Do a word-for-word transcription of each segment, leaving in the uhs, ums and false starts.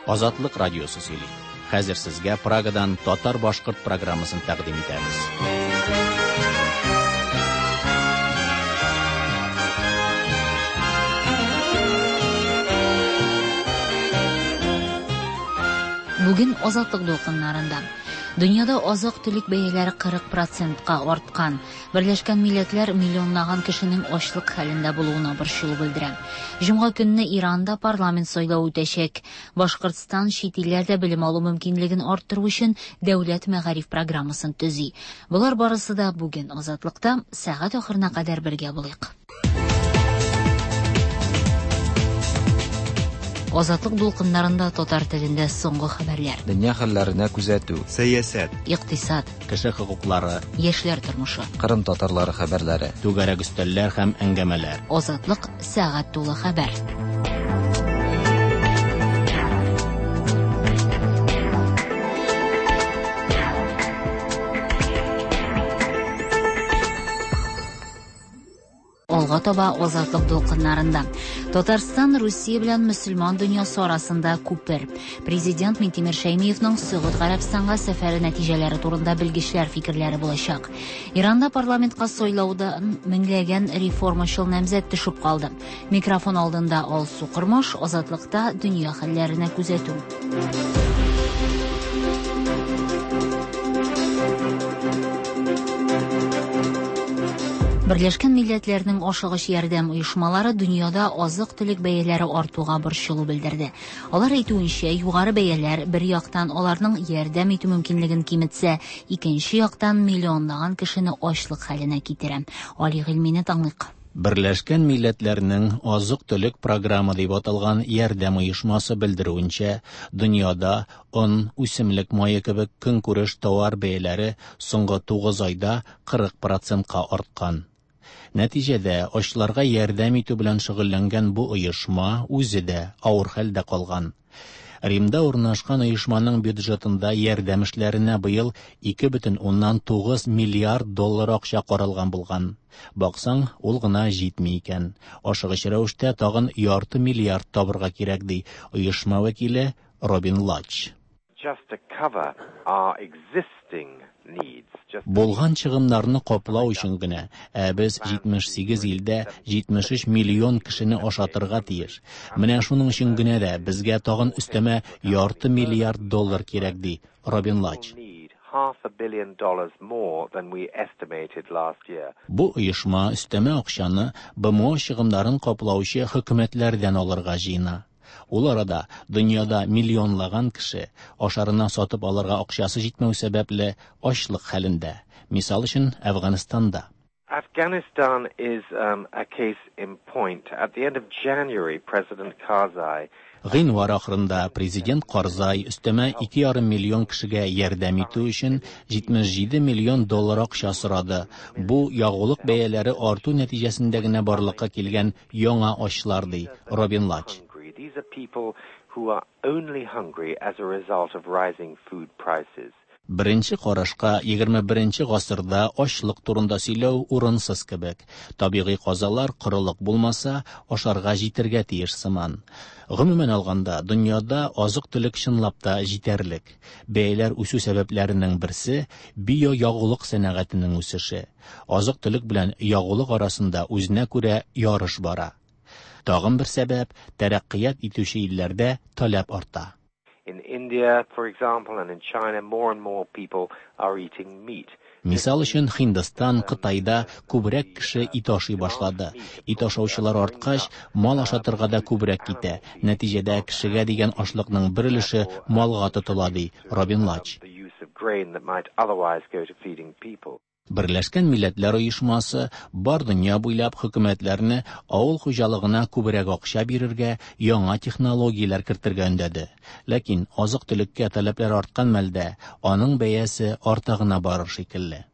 Азатлык радиосы сөйли. Хәзер сезгә Прагадан татар-башкорт программасын тәкъдим итәбез. Бүген Азатлык дулкыннарында дөньяда азык-төлек бәяләре кырык процентка арткан. Берләшкән Милләтләр миллионлаган кешенең ачлык хәлендә булуына борчылу белдерә. Җомга көнне Иранда парламент сайлавы үтәчәк. Башкортстан чит илләрдә белем алу мөмкинлеген арттыру өчен дәүләт мәгариф программасын төзи. Болар барысы да бүген Азатлыкта. Сәгать ахырына кадәр бергә булыйк. Азатлык дулкыннарында татар телендә соңгы хәбәрләр. Дөнья хәлләренә күзәтү. Сәясәт. Икътисад. Кеше хокуклары. Яшьләр тормышы. Кырым татарлары хәбәрләре. Түгәрәк өстәлләр һәм әңгәмәләр. Азатлык сәгать тулы хәбәр. Алга таба Азатлык дулкыннарында. Татарстан Русия белән мөселман дөньясы арасында күпер. Президент Минтимер Шәймиевның Сөгуд Гарәбстанга сәфәре нәтиҗәләре турында белгечләр фикерләре булачак. Иранда парламентка сайлауда меңләгән реформачыл намзәт төшеп калды. Микрофон алдында Алсу Кормаш, Азатлыкта дөнья хәлләренә күзәтү. Берләшкән Милләтләрнең ашыгыч ярдәм оешмалары дөньяда азык-төлек бәяләре артуга борчылу белдерде. Алар әйтүенчә, югары бәяләр бер яктан аларның ярдәм итү мөмкинлеген киметсә, икенче яктан миллионлаган кешене ачлык хәленә китерә. Али Гыйльмине тыңлыйк. Берләшкән Милләтләрнең азык-төлек программы дип аталган ярдәм оешмасы белдерүенчә, дөньяда он, үсемлек мае кебек көнкүреш товар бәяләре соңгы тугыз айда кырык процентка арткан. Нәтиҗәдә ачларга ярдәм итү белән шөгыльләнгән бу оешма үзе дә авыр хәлдә калган. Римда урнашкан оешманың бюджетында ярдәм эшләренә быел ике бөтен уннан тугыз миллиард доллар акча каралган булган. Баксаң, ул гына җитми икән. Ашыгыч рәвештә тагын ярты миллиард табырга кирәк, ди оешма вәкиле Робин Лач. Just to cover our existing needs. Булган чыгымнарны каплау өчен генә, ә без җитмеш сигез илдә җитмеш өч миллион кешене ашатырга тиеш. Менә шуның өчен генә дә безгә тагын өстәмә ярты миллиард доллар кирәк, ди Робин Лач. Бу оешма өстәмә акчаны Б М О чыгымнарын каплаучы хөкүмәтләрдән алырга җыена. Ул арада дөньяда миллионлаган кеше ашарына сатып алырга акчасы җитмәү сәбәпле ачлык хәлендә. Мисал өчен, Әфганстанда. Afghanistan is um, a case in point. At the end of January, President Karzai Гыйнвар ахырында президент Карзай өстәмә ике ярым миллион кешегә ярдәм итү өчен җитмеш җиде миллион доллар акча сорады. Бу ягулык бәяләре арту нәтиҗәсендә генә барлыкка килгән яңа ачлар, ди Робин Лач. These are people who are only hungry as a result of rising food prices. Беренче карашка егерме беренче гасырда ачлык турында сөйләү урынсыз кебек. Табигый казалар корылык булмаса, ашарга җитәргә тиеш сыман. Гомумән алганда, дөньяда азык-төлек чынлап та җитәрлек. Бәяләр үсү сәбәпләренең берсе биоягулык сәнәгатенең үсеше. Азык-төлек белән ягулык арасында үзенә күрә ярыш бара. Тагын бер сәбәп тәрәккыят итүче илләрдә таләп арта. In India, for example, and in China, more and more people are eating meat. Мисал өчен, Һиндстан, Кытайда күбрәк кеше ит ашый башлады. Ит ашаучылар арткач, мал ашатырга да күбрәк китә. Нәтиҗәдә кешегә дигән ашлыкның бер өлеше малга тотыла, ди Робин Лач. The use of grain that might otherwise go to feeding people. Берләшкән Милләтләр Оешмасы бар дөнья буйлап хөкүмәтләрне авыл хуҗалыгына күбрәк акча бирергә, яңа технологияләр кертергә өндәде. Ләкин азык-төлеккә таләпләр арткан мәлдә аның бәясе арта гына барыр шикелле.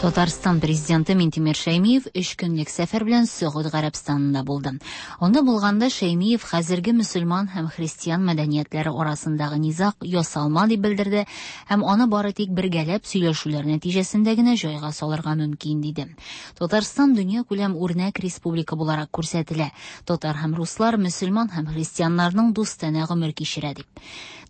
Татарстан президенты Минтимер Шәймиев өч көнлек сәфәр белән Сөгуд Гарәбстанында булды. Анда булганда Шәймиев хәзерге мөселман һәм христиан мәдәниятләре арасындагы низаг ясалма дип белдерде һәм аны бары тик бергәләп сөйләшүләр нәтиҗәсендә генә җайга салырга мөмкин диде. Татарстан дөньякүләм үрнәк республика буларак күрсәтелә. Татар һәм руслар мөселман һәм христианнарның дустанә гомер кичерә дип.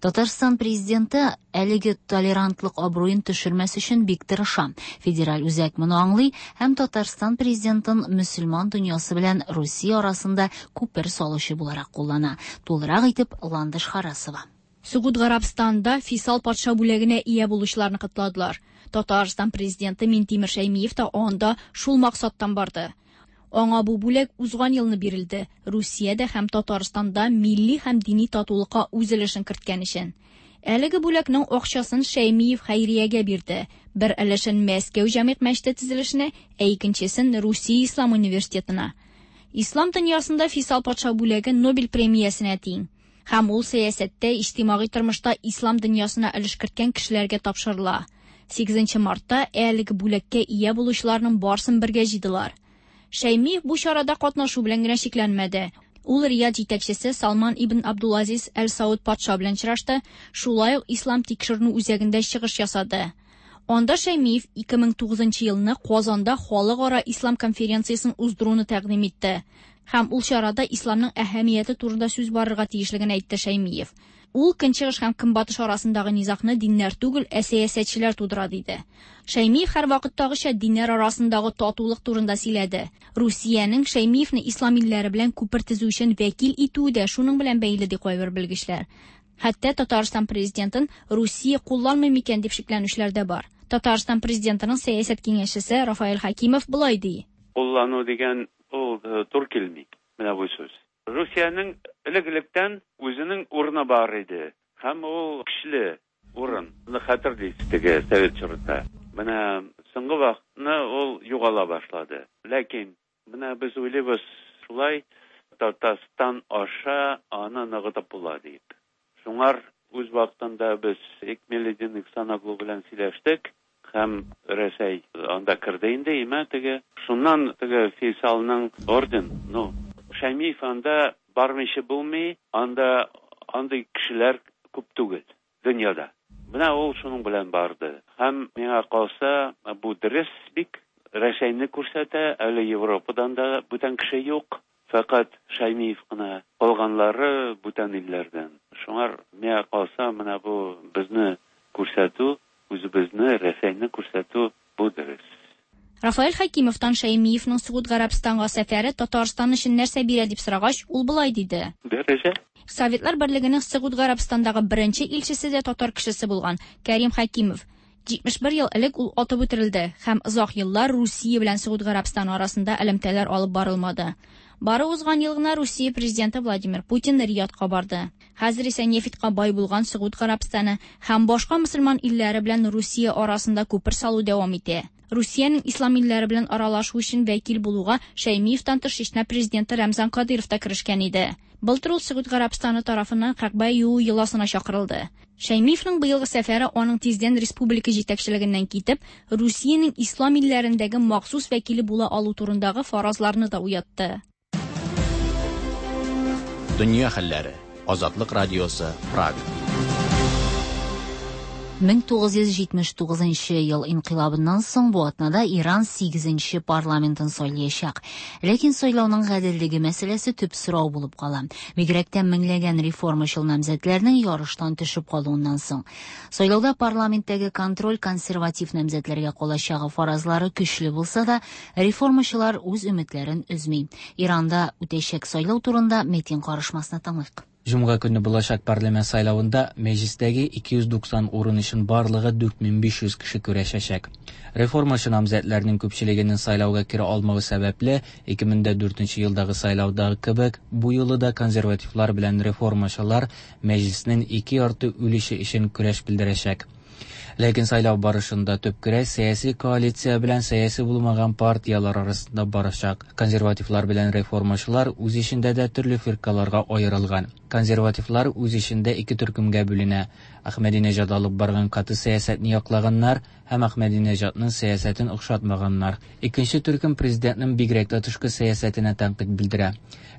Татарстан президенты әлеге толерантлык абруен төшермәс өчен бик тырыша. Федераль үзәк моны аңлый һәм Татарстан президентын мөселман дөньясы белән Русия арасында күпер салучы буларак куллана. Тулырак итеп Ландыш Харасова. Сөгуд Гарәбстанда Фейсал патша бүләгенә ия булучыларны котладылар. Татарстан президенты Минтимер Шәймиев та анда шул максаттан барды. Аңа бу бүләк узган елны бирелде. Русиядә һәм Татарстанда милли һәм дини татулыкка үз өлешен керткән өчен. Әлеге бүләкнең акчасын Шәймиев хәйриягә бирде. Бер өлешен Мәскәү җәмигъ мәчете төзелешенә, ә икенчесен Русия Ислам университетына. Ислам дөньясында Фейсал патша бүләге Нобель премиясенә тиң. Һәм ул сәясәттә, иҗтимагый тормышта ислам дөньясына өлеш керткән кешеләргә тапшырыла. Сигезенче мартта әлеге бүләккә ия булучыларның барсын бергә җыйдылар. Шәймиев бу чарада катнашу белән генә чикләнмәде. Ул Рияд җитәкчесе Салман ибн Абдулазиз Әл-Сауд патша белән очрашты, шулай ук Ислам тикшеренү үзәгендә чыгыш ясады. Анда Шәймиев ике мең тугызынчы елны Казанда халыкара ислам конференциясен уздыруны тәкъдим итте. Һәм ул чарада исламның әһәмияте турында сүз барырга тиешлеген әйтте Шәймиев. Ул көнчыгыш һәм көнбатыш арасындагы низагны диннәр түгел, ә сәясәтчеләр тудыра диде. Шәймиев һәр вакыттагыча диннәр арасындагы татулык турында сөйләде. Русиянең Шәймиевне ислам илләре белән күпер төзү өчен вәкил итүе дә шуның белән бәйле ди кайбер белгечләр. Хәтта Татарстан президентын Русия кулланмый микән дип шикләнүчеләр дә бар. Татарстан президентының сәясәт киңәшчесе Рафаэль Хакимов болай ди. Куллану дигән ул тур килми. Менә бу сүз. Русиянең элек-электән үзенең урыны бар иде. Һәм ул көчле урын. Аны хәтерлисез теге совет чорында. Менә соңгы вакытны ул югала башлады. Ләкин менә без уйлыйбыз шулай Татарстан аша аны ныгытып була дип. Шуңар үз вакытында без Экмеледин Ихсаноглу белән сөйләштек. Һәм Рәсәй анда керде инде, имә теге. Шуннан теге Фейсалның орден, ну, Шәймиев анда бармыйча булмый, анда андый кешеләр күп түгел дөньяда. Менә ул шуның белән барды. Һәм миңа калса, бу дөрес бик Рәсәйне күрсәтә, әле Европадан да бүтән кеше юк. Фәкать Шәймиев кына, калганлары бүтән илләрдән. Шуңар миңа калса, менә бу безне күрсәтү, үзебезне, Рәсәйне күрсәтү бу дөрес. Рафаэль Хакимовтан Шәймиевның Сөгуд Гарәбстанга сәфәре Татарстан өчен нәрсә бирә дип сорагач, ул болай диде. Дәрәҗә. Советлар Берлегенең Сөгуд Гарәбстандагы беренче илчесе дә татар кешесе булган Кәрим Хакимов. җитмеш бер ел элек ул атып үтерелде һәм озак еллар Русия белән Сөгуд Гарәбстаны арасында элемтәләр алып барылмады. Бары узган ел гына Русия президенты Владимир Путин Риядка барды. Хәзер исә нефтькә бай булган Сөгуд Гарәбстаны һәм башка мөселман илләре белән Русия арасында күпер салу дәвам итә. Русиянең ислам илләре белән аралашу өчен вәкил булуга Шәймиевтан тыш Чечня президенты Рамзан Кадыров та керешкән иде. Былтыр ул Сөгуд Гарәбстаны тарафыннан Кәгъбә юу йоласына чакырылды. Шәймиевның быелгы сәфәре аның тиздән республика җитәкчелегеннән китеп, Русиянең ислам илләрендәге махсус вәкиле була алу турындагы фаразларны да уятты. Дөнья хәлләре. Азатлык радиосы, Прага. мең тугыз йөз җитмеш тугызынчы ел инкыйлабыннан соң бу атнада Иран сигезенче парламентын сайлаячак. Ләкин сайлауның гаделлеге мәсьәләсе төп сорау булып кала. Бигрәк тә меңләгән реформачыл намзәтләрнең ярыштан төшеп калуыннан соң. Сайлауда парламенттәге контроль консерватив намзәтләргә калачагы фаразлары көчле булса да, реформачылар үз өметләрен өзми. Иранда үтәчәк сайлау турында Метин карышмасына тыңлыйк. Җомга көне булачак парламент сайлавында мәҗлистәге ике йөз туксан урын өчен барлыгы дүрт мең биш йөз кеше көрәшәчәк. Реформачы намзәтләрнең күпчелегенең сайлауга керә алмавы сәбәпле, ике мең дә дүртенче елдагы сайлаудагы кебек, бу юлы да консервативлар белән реформачылар мәҗлиснең ике ярты өлеше өчен көрәш белдерәчәк. Ләкин сайлау барышында төп көрәш сәяси коалиция белән сәяси булмаган партиялар арасында барачак. Консервативлар белән реформачылар үз эчендә дә төрле фиркаларга аерылган. Консервативлар үз эчендә ике төркемгә бүленә. Әхмәдинежад алып барган каты сәясәтне яклаганнар һәм Әхмәдинежадның сәясәтен охшатмаганнар. Икенче төркем президентның бигрәк тә тышкы сәясәтенә тәнкыйть белдерә.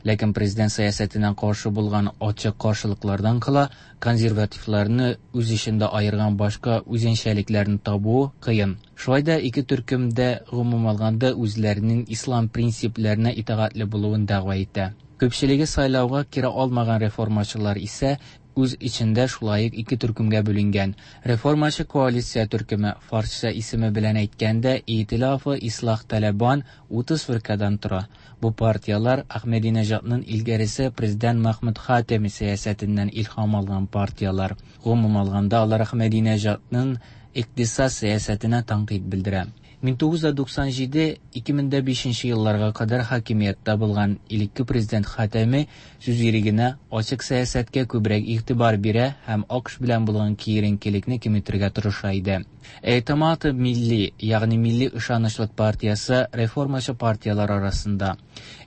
Ләкин президент сәясәтенә каршы булган ачык каршылыклардан кала консервативларны үз эчендә аерган башка үзенчәлекләрне табу кыен. Шулай да ике төркем дә гомум алганда үзләренең ислам принципларына итагатьле булуын дәгъва итә. Күпчелеге сайлауга кире алмаган реформачылар исә үз эчендә шулай ук ике төркемгә бүленгән. Реформачы коалиция төркеме, фарсча исеме белән әйткәндә, Итилафы Ислах Талибан утыз фиркадан тора. Бу партиялар Әхмәдинежадның илгәресе президент Махмуд Хатеми сәясәтеннән илһам алган партиялар. Гомум алганда алар Әхмәдинежадның икътисад сәясәтенә тәнкыйть белдерә. мең тугыз йөз туксан җиде - ике мең дә бишенче елларга кадәр хакимияттә булган элекке президент Хатами сүз ирегенә, ачык сәясәткә күбрәк игътибар бирә һәм АКШ белән булган киеренкелекне киметергә тырыша иде. Эътимад милли, ягъни милли ышанычлык партиясе реформачы партиялар арасында.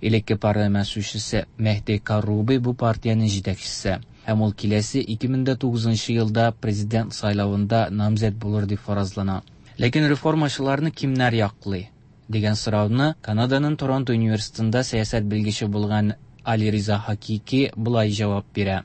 Элекке парламент сүзчесе Мehdi Карруби бу партиянең җитәкчесе. Һәм ул киләсе ике мең дә тугызынчы елда президент сайлавында намзәт булыр дип фаразлана. Ләкин реформачыларны кимнәр яклый дигән сорауны Канаданың Торонто университетында сәясәт белгече булган Али Риза Хакики болай җавап бирә.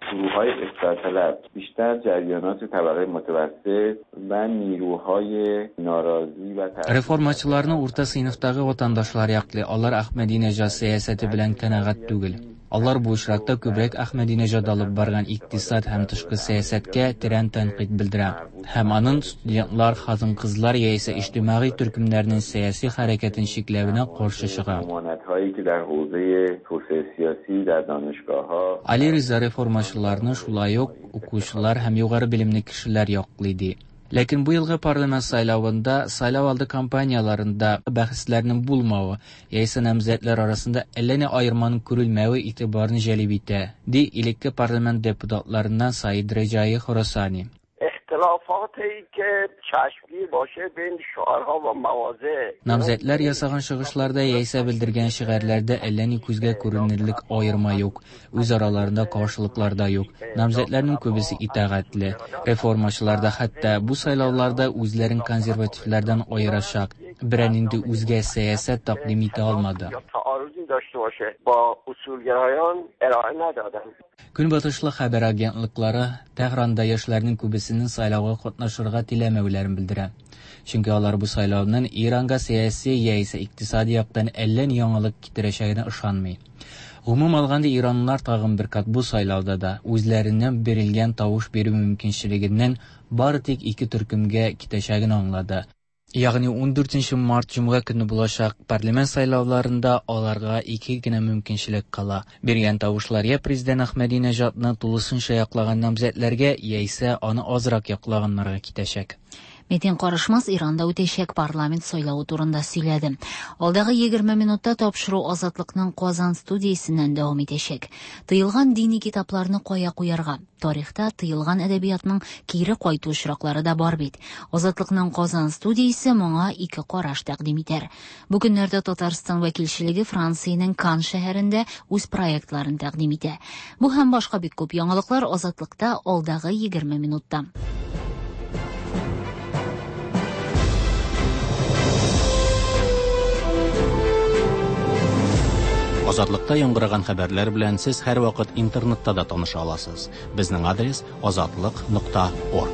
گروه‌های اصلاح طلب بیشتر جریانات طبقه متوسط و نیروهای ناراضی و تحت- Реформачыларны урта сыйныфтагы ватандашлар яклый. Алар Әхмәдинежад сәясәте белән канәгать түгел. Алар бу очракта күбрәк Әхмәдинежад алып барган икътисад һәм тышкы сәясәткә тирән тәнкыйть белдерә. Һәм аның студентлар, хатын-кызлар яисә иҗтимагый төркемнәрнең сәяси хәрәкәтен чикләвенә каршы чыга. ممانعت‌هایی که در حوزه توسعه سیاسی در دانشگاه‌ها Али Риза реформачыларны шулай ук укучылар һәм югары белемле кешеләр яклый ди. Ләкин бу елгы парламент сайлавында сайлау алды кампанияларында бәхәсләрнең булмавы яисә намзәтләр арасында әллә ни аерманың күрелмәве игътибарны җәлеп итә, ди элекке парламент депутатларыннан Саид Реджаи Хорасани. اختلافاتی که چشمگیر باشه بین شعارها و مواضع. Намзәтләр ясаган чыгышларда яисә белдергән шигарьләрдә әллә ни күзгә күренерлек аерма юк, үз араларында каршылыклар да юк. Намзәтләрнең күбесе итагатьле. Реформачылар да хәтта бу сайлауларда үзләрен консервативлардан аерачак, берәр нинди үзгә сәясәт тәкъдим итә алмады. یا تعارضی داشته باشه با اصولگرایان ارائه ندادن. Көнбатышлы хәбәр агентлыклары Тәһранда яшьләрнең күбесенең сайлауга катнашырга теләмәүләрен белдерә. Чөнки алар бу сайлауның Иранга сәяси яисә икътисади яктан әллә ни яңалык китерәчәгенә ышанмый. Гомум алганда иранлылар тагын бер кат бу сайлауда да үзләренә бирелгән тавыш бирү мөмкинчелегеннән бары тик ике төркемгә китәчәген аңлады. Ягъни ун дүртенче март җомга көне булачак парламент сайлауларында аларга ике генә мөмкинчелек кала. Биргән тавышлар я президент Әхмәдинежадны тулысынча яклаган намзәтләргә, яисә аны азрак яклаганнарга китәчәк. Метин Карышмас Иранда үтәчәк парламент сайлавы турында сөйләде. Алдагы егерме минутта тапшыру Азатлыкның Казан студиясеннән дәвам итәчәк. Тыелган дини китапларны кая куярга? Тарихта тыелган әдәбиятның кире кайту очраклары да бар бит. Азатлыкның Казан студиясе моңа ике караш тәкъдим итәр. Бу көннәрдә Татарстан вәкилчелеге Франциянең Кан шәһәрендә үз проектларын тәкъдим итә. Бу һәм башка бик күп яңалыклар Азатлыкта алдагы егерме минутта. Азатлыкта яңгыраган хәбәрләр белән сез һәрвакыт интернетта да таныша аласыз. Безнең адрес азатлык нокта орг.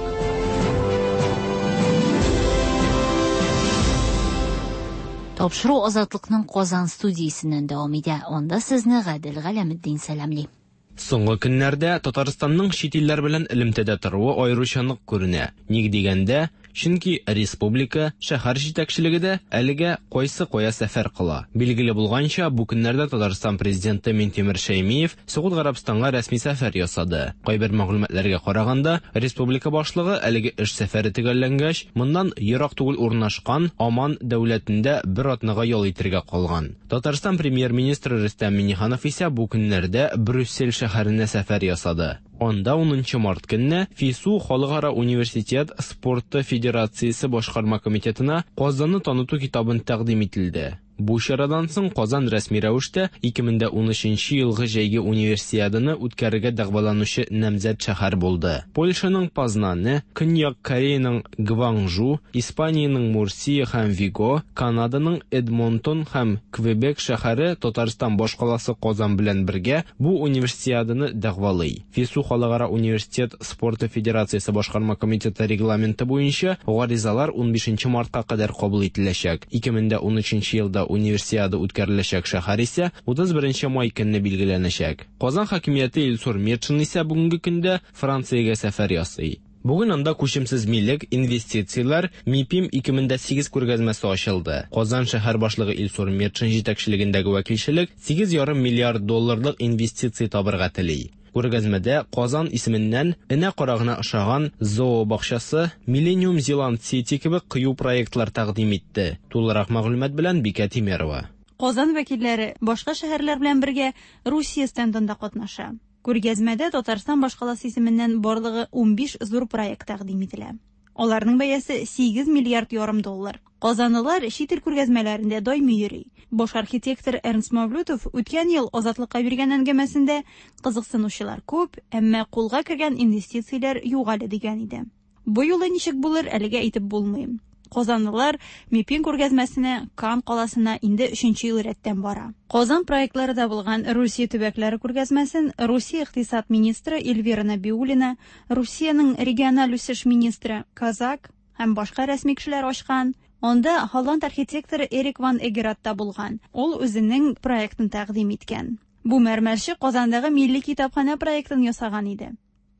Тапшыру Азатлыкның Казан студиясеннән дәвам итә. Анда сезне Гадел Галәметдин сәламли. Соңгы көннәрдә Татарстанның чит илләр белән элемтәдә торуы аеруча нык күренә. Ник дигәндә, чөнки республика, шәһәр җитәкчелеге дә әлегә кайсы кая сәфәр кыла. Билгеле булганча, бу көннәрдә Татарстан президенты Минтимер Шәймиев Согуд Гарәбстанга рәсми сәфәр ясады. Кайбер мәгълүматларга караганда, республика башлыгы әлеге эш сәфәре төгәлләнгәч, моннан ерак түгел урнашкан Оман дәүләтендә бер атнага ял итәргә калган. Татарстан премьер-министры Рөстәм Миңнеханов исә бу көннәрдә Брюссель шәһәренә сәфәр ясады. Анда унынчы март көнне ФИСУ Халыкара университет спорты федерациясе башкарма комитетына Казанны таныту китабын тәкъдим ителде. Бу чарадан соң Казан рәсми рәвештә ике мең дә унөченче елгы җәйге универсиаданы үткәрергә дәгъваланучы намзәт шәһәр булды. Польшаның Познаны, Көньяк Кореяның Гванжу, Испаниянең Мурсия һәм Виго, Канаданың Эдмонтон һәм Квебек шәһәре Татарстан башкаласы Казан белән бергә бу универсиаданы дәгъвалый. ФИСУ Халыкара университет спорты федерациясе башкарма комитеты регламенты буенча гаризалар унбишенче мартка кадәр кабул ителәчәк. ике мең дә унөченче елда универсиада үткәреләчәк шәһәр исә утыз беренче май көнне билгеләнәчәк. Казан хакимияте Илсур Метшин исә бүгенге көндә Франциягә сәфәр ясый. Бүген анда күчемсез милек, инвестицияләр, МИПИМ ике мең дә сигез күргәзмәсе ачылды. Казан шәһәр башлыгы Илсур Метшин җитәкчелегендәге вәкилчелек сигез ярым миллиард долларлык инвестиция табырга тели. Күргәзмәдә Казан исеменнән энә карагына ошаган зообакчасы, Millennium Zealand City кебек кыю проектлар тәкъдим итте. Тулырак мәгълүмат белән Бикә Тимерова. Казан вәкилләре башка шәһәрләр белән бергә Русия стендында катнаша. Күргәзмәдә Татарстан башкаласы исеменнән барлыгы унбиш зур проект тәкъдим ителә. Аларның бәясе сигез миллиард ярым доллар. Казанлылар чит ил күргәзмәләрендә даими йөри. Баш архитектор Эрнст Мавлютов үткән ел Азатлыкка биргән әңгәмәсендә кызыксынучылар күп, әмма кулга кергән инвестицияләр юк әле дигән иде. Бу юлы ничек булыр, әлегә әйтеп булмый. Казанлылар МИПИМ күргәзмәсенә Кан каласына инде өченче ел рәттән бара. Казан проектлары да булган Русия төбәкләре күргәзмәсен Русия икътисад министры Эльвира Набиуллина, Русиянең региональ үсеш министры Казак һәм башка рәсми кешеләр ачкан. Анда голланд архитекторы Эрик ван Эгерат та булган. Ул үзенең проектын тәкъдим иткән. Бу мәрмәрче Казандагы милли китапханә проектын ясаган иде.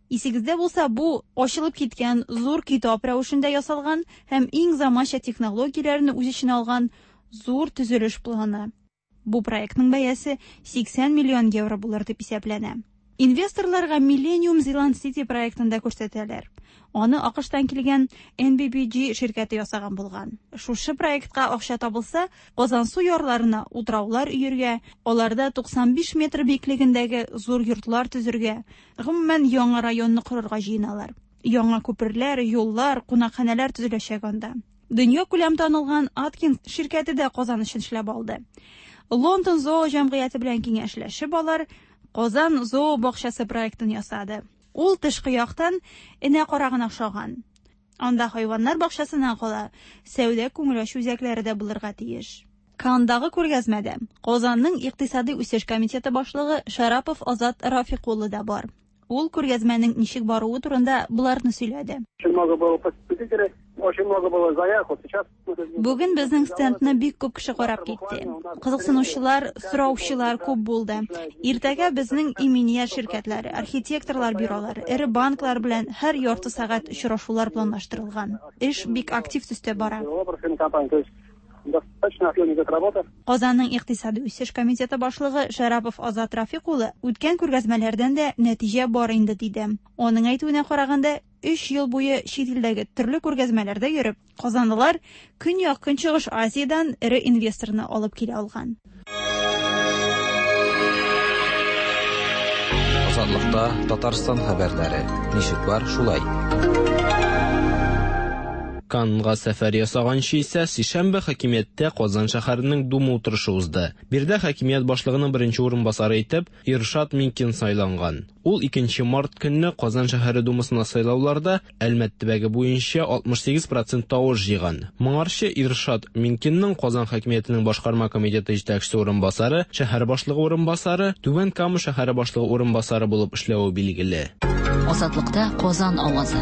Исегездә булса, бу ачылып киткән зур китап рәвешендә ясалган һәм иң заманча технологияләрне үз эченә алган зур төзелеш планы. Бу проектның бәясе сиксән миллион евро булыр дип исәпләнә. Инвесторларга Millennium Zealand City проектын да күрсәтәләр. Аны АКШтан килгән Н Б Б G ширкәте ясаган булган. Шушы проектка акча табылса, Казансу ярларына утраулар өергә, аларда туксан биш метр биеклегендәге зур йортлар төзергә, гомумән яңа районны корырга җыеналар. Яңа күперләр, юллар, кунакханәләр төзеләчәк анда. Дөнья күләм танылган Аткинс ширкәте дә Казан өчен эшләп алды. Лондон зоо җәмгыяте белән киңәшләшеп алар Казан зоо бакчасы проектын ясады. Ул тышкы яктан энә карагына охшаган. Анда хайваннар бакчасыннан кала сәүдә күңел ачу үзәкләре дә булырга тиеш. Кандагы күргәзмәдә Казанның икътисади үсеш комитеты башлыгы Шарапов Азат Рафик улы да бар. Ул күргәзмәнең ничек баруы турында буларны сөйләде. Очень много было посетителей, очень много было заявок. Вот сейчас Бүген безнең стендны бик күп кеше карап китте. Кызыксынучылар, сораучылар күп булды. Иртәгә безнең иминият ширкәтләре, архитекторлар бюролары, эре банклар белән һәр ярты сәгать очрашулар планлаштырылган. Эш бик актив төстә бара. Достаточно активно идет работа. Казанның икътисади үсеш комитеты башлыгы Шарапов Азат Рафик улы үткән күргәзмәләрдән дә нәтиҗә бар инде диде. Аның әйтүенә караганда, өч ел буе чит илдәге төрле күргәзмәләрдә йөреп, казанлылар Көньяк-Көнчыгыш Азиядән эре инвесторны алып килә алган. Азатлыкта Татарстан хәбәрләре. Ничек бар, шулай. Каннга сәфәр ясаганчы исә сишәмбе хакимияттә Казан шәһәренең Дума утырышы узды. Биредә хакимият башлыгының беренче урынбасары итеп Иршат Минкин сайланган. Ул икенче март көнне Казан шәһәре Думасына сайлауларда Әлмәт төбәге буенча алтмыш сигез процент тавыш җыйган. Моңарчы Иршат Минкинның Казан хакимиятенең башкарма комитеты җитәкчесе урынбасары, шәһәр башлыгы урынбасары, Түбән Кама шәһәре башлыгы урынбасары булып эшләве билгеле. Азатлыкта Казан авазы.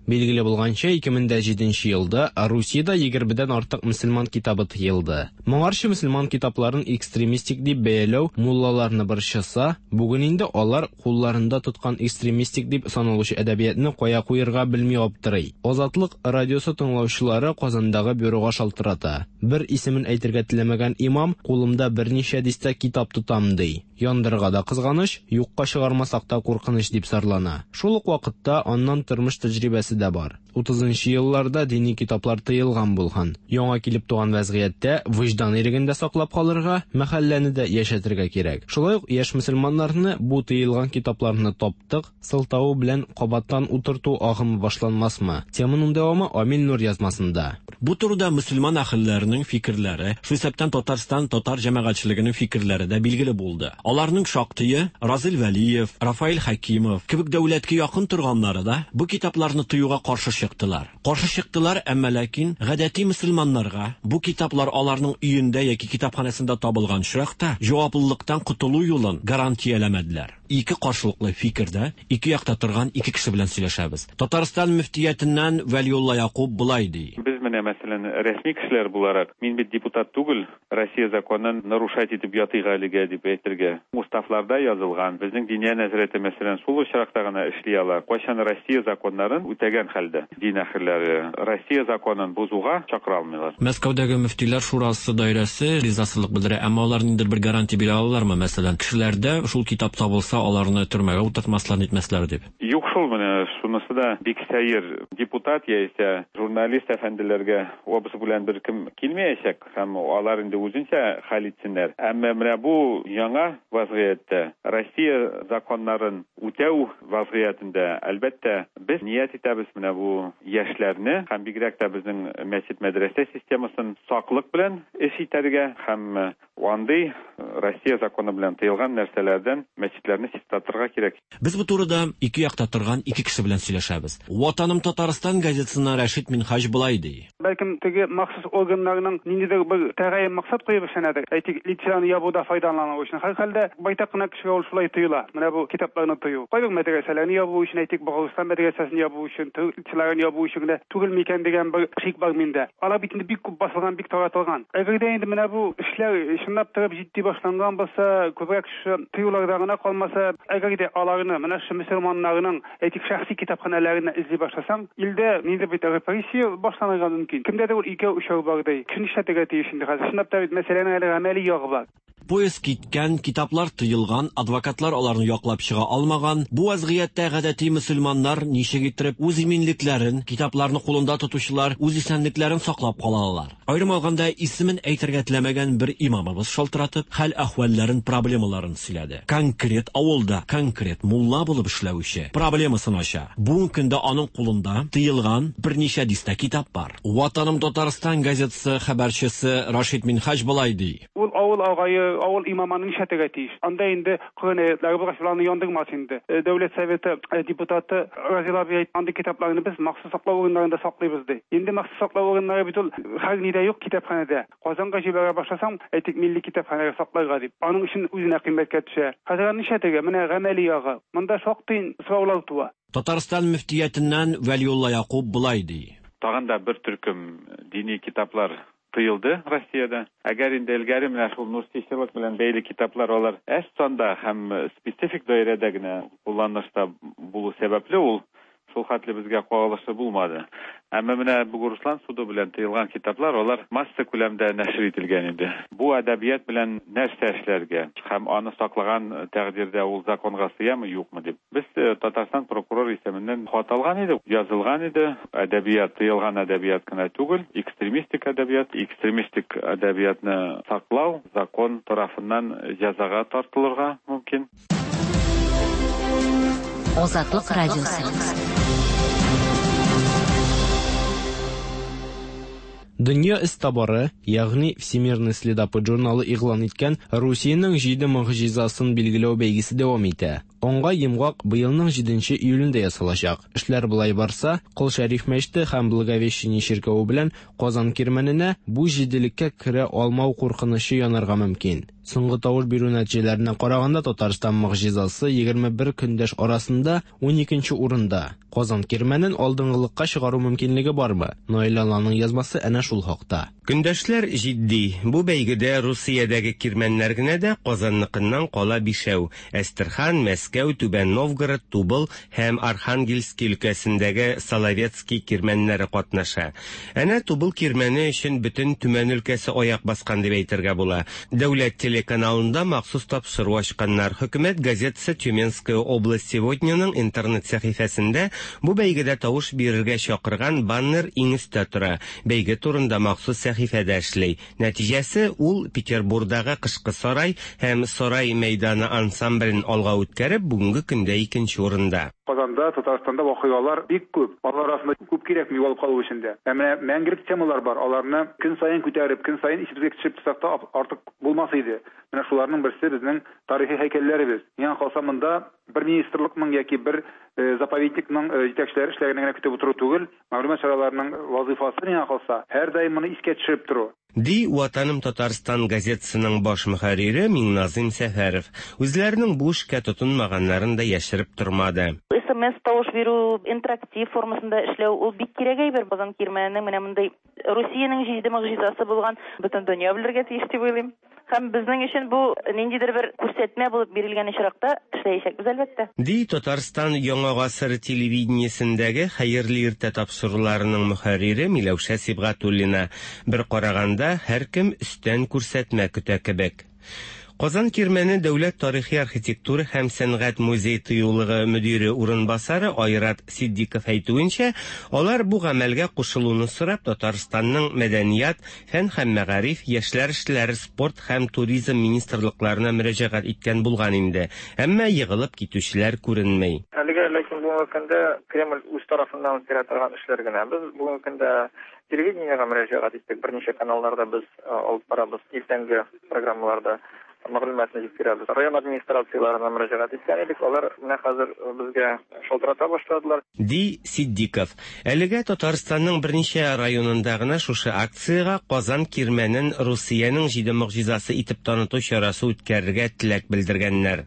Билгеле булганча, ике мең дә җиденче елда Русиядә егермедән артык мөселман китабы тыелды. Моңарчы мөселман китапларын экстремистик дип бәяләү муллаларны борчыса, бүген инде алар кулларында тоткан экстремистик дип саналучы әдәбиятны кая куярга белми аптырый. Азатлык радиосы тыңлаучылары Казандагы бюрога шалтырата. Бер исемен әйтергә теләмәгән имам кулымда берничә дистә китап тотам ди. Яндырырга да кызганыч, юкка чыгармасак та куркыныч дип зарлана. Шул ук вакытта аннан тормыш тәҗрибәсе дә бар. Утызынчы елларда дини китаплар тыелган булган. Яңа килеп туган вәзгыятьтә вөҗдан иреген дә саклап калырга, мәхәлләне дә яшәтергә кирәк. Шулай ук яшь мөселманнарны бу тыелган китапларны таптык сылтавы белән кабаттан утырту агымы башланмасмы? Теманың дәвамы Амил Нур язмасында. Бу турыда мөселман әһелләренең фикерләре, шул исәптән Татарстан татар җәмәгатьчелегенең фикерләре дә билгеле булды. Аларның шактые Разил Вәлиев, Рафаэль Хәкимов кебек дәүләткә якын торганнары да бу китапларны тыюга каршы чыктылар. Каршы чыктылар, әмма ләкин гадәти мөселманнарга бу китаплар аларның өендә яки китапханәсендә табылган очракта җаваплылыктан котылу юлын гарантияләмәделәр. Ике каршылыклы фикердә, ике якта торган ике кеше белән сөйләшәбез. Татарстан мөфтиятеннән Вәлиулла Якуб болай ди. Без менә мәсәлән рәсми кешеләр буларак, мин бит депутат түгел, Россия законын нарушать итеп ятыйк әлегә дип әйтергә. Уставларда язылган, безнең Диния нәзарәте мәсәлән шул очракта гына эшли ала. Кайчан Россия законнарын үтәгән хәлдә дин әһелләре Россия законын бозуга чакыра алмыйлар. Мәскәүдәге мөфтиләр шурасы даирәсе ризасызлык белдерә, әмма алар ниндидер бер гарантия бирә алалармы? Мәсәлән, кешеләрдә шул китап табылса, аларны төрмәгә утыртмаслар, нитмәсләр дип. Юк шул, менә шунысы да бик сәер. Депутат яисә журналист әфәнделәргә обыск белән бер кем килмәячәк һәм алар инде үзенчә хәл итсеннәр. Әмма менә бу яңа вазгыятьтә Россия законнарын үтәү вазгыятендә, әлбәттә, без ният итәбез менә бу яшьләрне һәм бигрәк тә безнең мәчет мәдрәсә системасын саклык белән эш итәргә һәм андый Россия законы белән тыелган нәрсәләрдән мәчетләрне чистартырга кирәк. Без бу турыда ике якта торган ике кеше белән сөйләшәбез. Ватаным Татарстан газетасыннан Рәшит Минһаҗ болай ди. Бәлкем теге махсус органнарның ниндидер бер тәгаен максат куеп эшләнәдер. Әйтик, лицензияне ябуда файдалану өчен. Һәрхәлдә байтак кына кешегә ул шулай тоела. Менә бу китапларны тыю. Кайбер мәдрәсәләрне ябу өчен, әйтик, Богородстан мәдрәсәсен ябу өчен, лицензияләрне ябу өчен генә түгел микән дигән бер шик бар миндә. Алар бит инде бик күп басылган, бик таратылган. Әгәр дә инде менә бу эшләр чынлап торып җитди башланган булса, күбрәк шушы тыюларда гына калмаса, әгәр дә аларны менә шу мөселманнарның, әйтик, шәхси китапханәләренә эзли башласаң, илдә ниндидер бит репрессия башланырга мөмкин. Кемдәдер ул икәү өчәү бар ди. Кеше нишләтергә тиеш инде хәзер? Чынлап та бит мәсьәләнең әле гамәли ягы бар. Поезд киткән, китаплар тыелган, адвокатлар аларны яклап чыга алмаган. Бу вазгыятьтә гадәти мөселманнар ничек иттереп үз иминлекләрен, китапларны кулында тотучылар үз исәнлекләрен саклап кала алалар? Аерым алганда, исемен әйтергә теләмәгән бер имамыбыз шалтыратып, хәл-әхвәлләрен, проблемаларын сөйләде. Конкрет авылда, конкрет мулла булып эшләүче проблемасын ача. Бүгенге көндә аның кулында тыелган берничә дистә китап бар. Ватаным Татарстан газетасы хәбәрчесе Рашид Минһаҗ болай ди. Ул авыл агае, авыл имамының нишләтергә тиеш? Анда инде Коръән аятлары булгач, аларны яндырмас инде. Дәүләт советы депутаты Разил абый әйтте, андый китапларны без махсус саклау урыннарында саклыйбыз ди. Инде махсус саклау урыннары бит ул һәр нидә юк китапханәдә. Казанга җибәрә башласаң, әйтик, милли китапханәгә сакларга дип. Аның өчен үзенә кыйммәткә төшә. Хәзер нишләтергә? Менә гамәли ягы. Монда шактый сораулар туа. Татарстан мөфтиятеннән Вәлиулла Якуб болай ди. Тагын да бер төркем дини китаплар тыелды Россиядә. Әгәр инде элгәре менә шул нурсичылык белән бәйле китаплар алар әз санда һәм специфик даирәдә генә кулланышта булу сәбәпле ул шул хәтле безгә кагылышы булмады. Әмма менә Бугурслан суды белән тыелган китаплар алар масса күләмдә нәшер ителгән иде. Бу әдәбият белән нәрсә эшләргә һәм аны саклаган тәкъдирдә ул законга сыямы, юкмы дип. Без Татарстан прокурор исеменнән хат алган идек, язылган иде. Әдәбият тыелган әдәбият кына түгел, экстремистик әдәбият, экстремистик әдәбиятны саклау закон тарафыннан җәзага тартылырга мөмкин. Азатлык радиосы. Дөнья эзтабары, ягъни Всемирный следопыт журналы игълан иткән Русиянең җиде могҗизасын билгеләү бәйгесе дәвам итә. Аңга йомгак быелның җиденче июлендә ясалачак. Эшләр болай барса, Кол Шәриф мәчете һәм Благовещение чиркәве белән Казан кирмәненә бу җиделеккә керә алмау куркынычы янарга мөмкин. Соңгы тавыш бирү нәтиҗәләренә караганда Татарстан могҗизасы егерме бер көндәш арасында ун икенче урында. Казан кирмәнен алдынгылыкка чыгару мөмкинлеге бармы? Наил Алланың язмасы әнә шул хакта. Көндәшләр җитди. Бу бәйгедә Русиядәге кирмәннәр генә дә Казанныкыннан кала бишәү. Әстерхан, Мәскәү, Түбән Новгород, Тубыл һәм Архангельский өлкәсендәге Соловецкий кирмәннәре катнаша. Әнә Тубыл кирмәне өчен бөтен Төмән өлкәсе аяк баскан дип әйтергә була. Дәүләт телеканалында махсус тапшыру ачканнар. Хөкүмәт газетасы «Тюменская область сегодня»ның интернет сәхифәсендә бу бәйгедә тавыш бирергә чакырган баннер иң өстә тора. Бәйге турында махсус сәхифәдә эшли. Нәтиҗәсе ул Петербургдагы Кышкы сарай һәм Сарай мәйданы ансамблен алга үткәреп, бүгенге көндә икенче урында. Казанда, Татарстанда вакыйгалар бик күп. Алар арасында күп кирәкми югалып калу өчен дә. Ә менә мәңгелек темалар бар. Аларны көн саен күтәреп, көн саен исебезгә төшереп торсак та артык булмас иде. Менә шуларның берсе безнең тарихи һәйкәлләребез. Миңа калса монда бер министрлыкның яки бер заповедникның җитәкчеләре эшләгәнен генә көтеп утыру түгел, мәгълүмат чараларының вазифасы миңа калса һәрдаим моны искә төшереп тору. Ди Ватаным Татарстан газетасының баш мөхәррире Миңназым Сәфәров. Үзләренең бу эшкә тотынмаганнарын да яшереп тормады. Эс эм эс тавыш бирү интерактив формасында эшләү ул бик кирәк әйбер. Казан кирмәненең менә мондый Русиянең җиде могҗизасы булган бөтен дөнья белергә тиеш дип уйлыйм. Һәм безнең өчен бу ниндидер бер күрсәтмә булып бирелгән очракта эшләячәкбез әлбәттә. Ди Татарстан Яңа гасыр телевидениесендәге Хәерле иртә тапшыруларының мөхәррире Миләүшә Сибгатуллина. Бер караганда һәркем өстән күрсәтмә көтә кебек. Казан Кирмәне дәүләт тарихи архитектура һәм сәнгать музей тыюлыгы мөдире урынбасары Айрат Сиддиков әйтүенчә, алар бу гамәлгә кушылуны сорап Татарстанның мәдәният, фән һәм мәгариф, яшьләр эшләре, спорт һәм туризм министрлыкларына мөрәҗәгать иткән булган инде. Әмма егылып китүчеләр күренми. Әлегә ләкин бүгенге көндә Кремль үз тарафыннан үткәрә торган эшләр генә. Без бүгенге көндә телевидениегә мөрәҗәгать иттек. Берничә каналларда без алып барабыз иртәнге программаларда мәгълүматны җиткерәбез. Район администрацияларына мөрәҗәгать иткән идек, алар менә хәзер безгә шалтырата башладылар. Ди Сиддиков. Әлегә Татарстанның берничә районында гына шушы акциягә Казан Кирмәнен Русиянең җиде могҗизасы итеп таныту чарасы үткәрергә теләк белдергәннәр.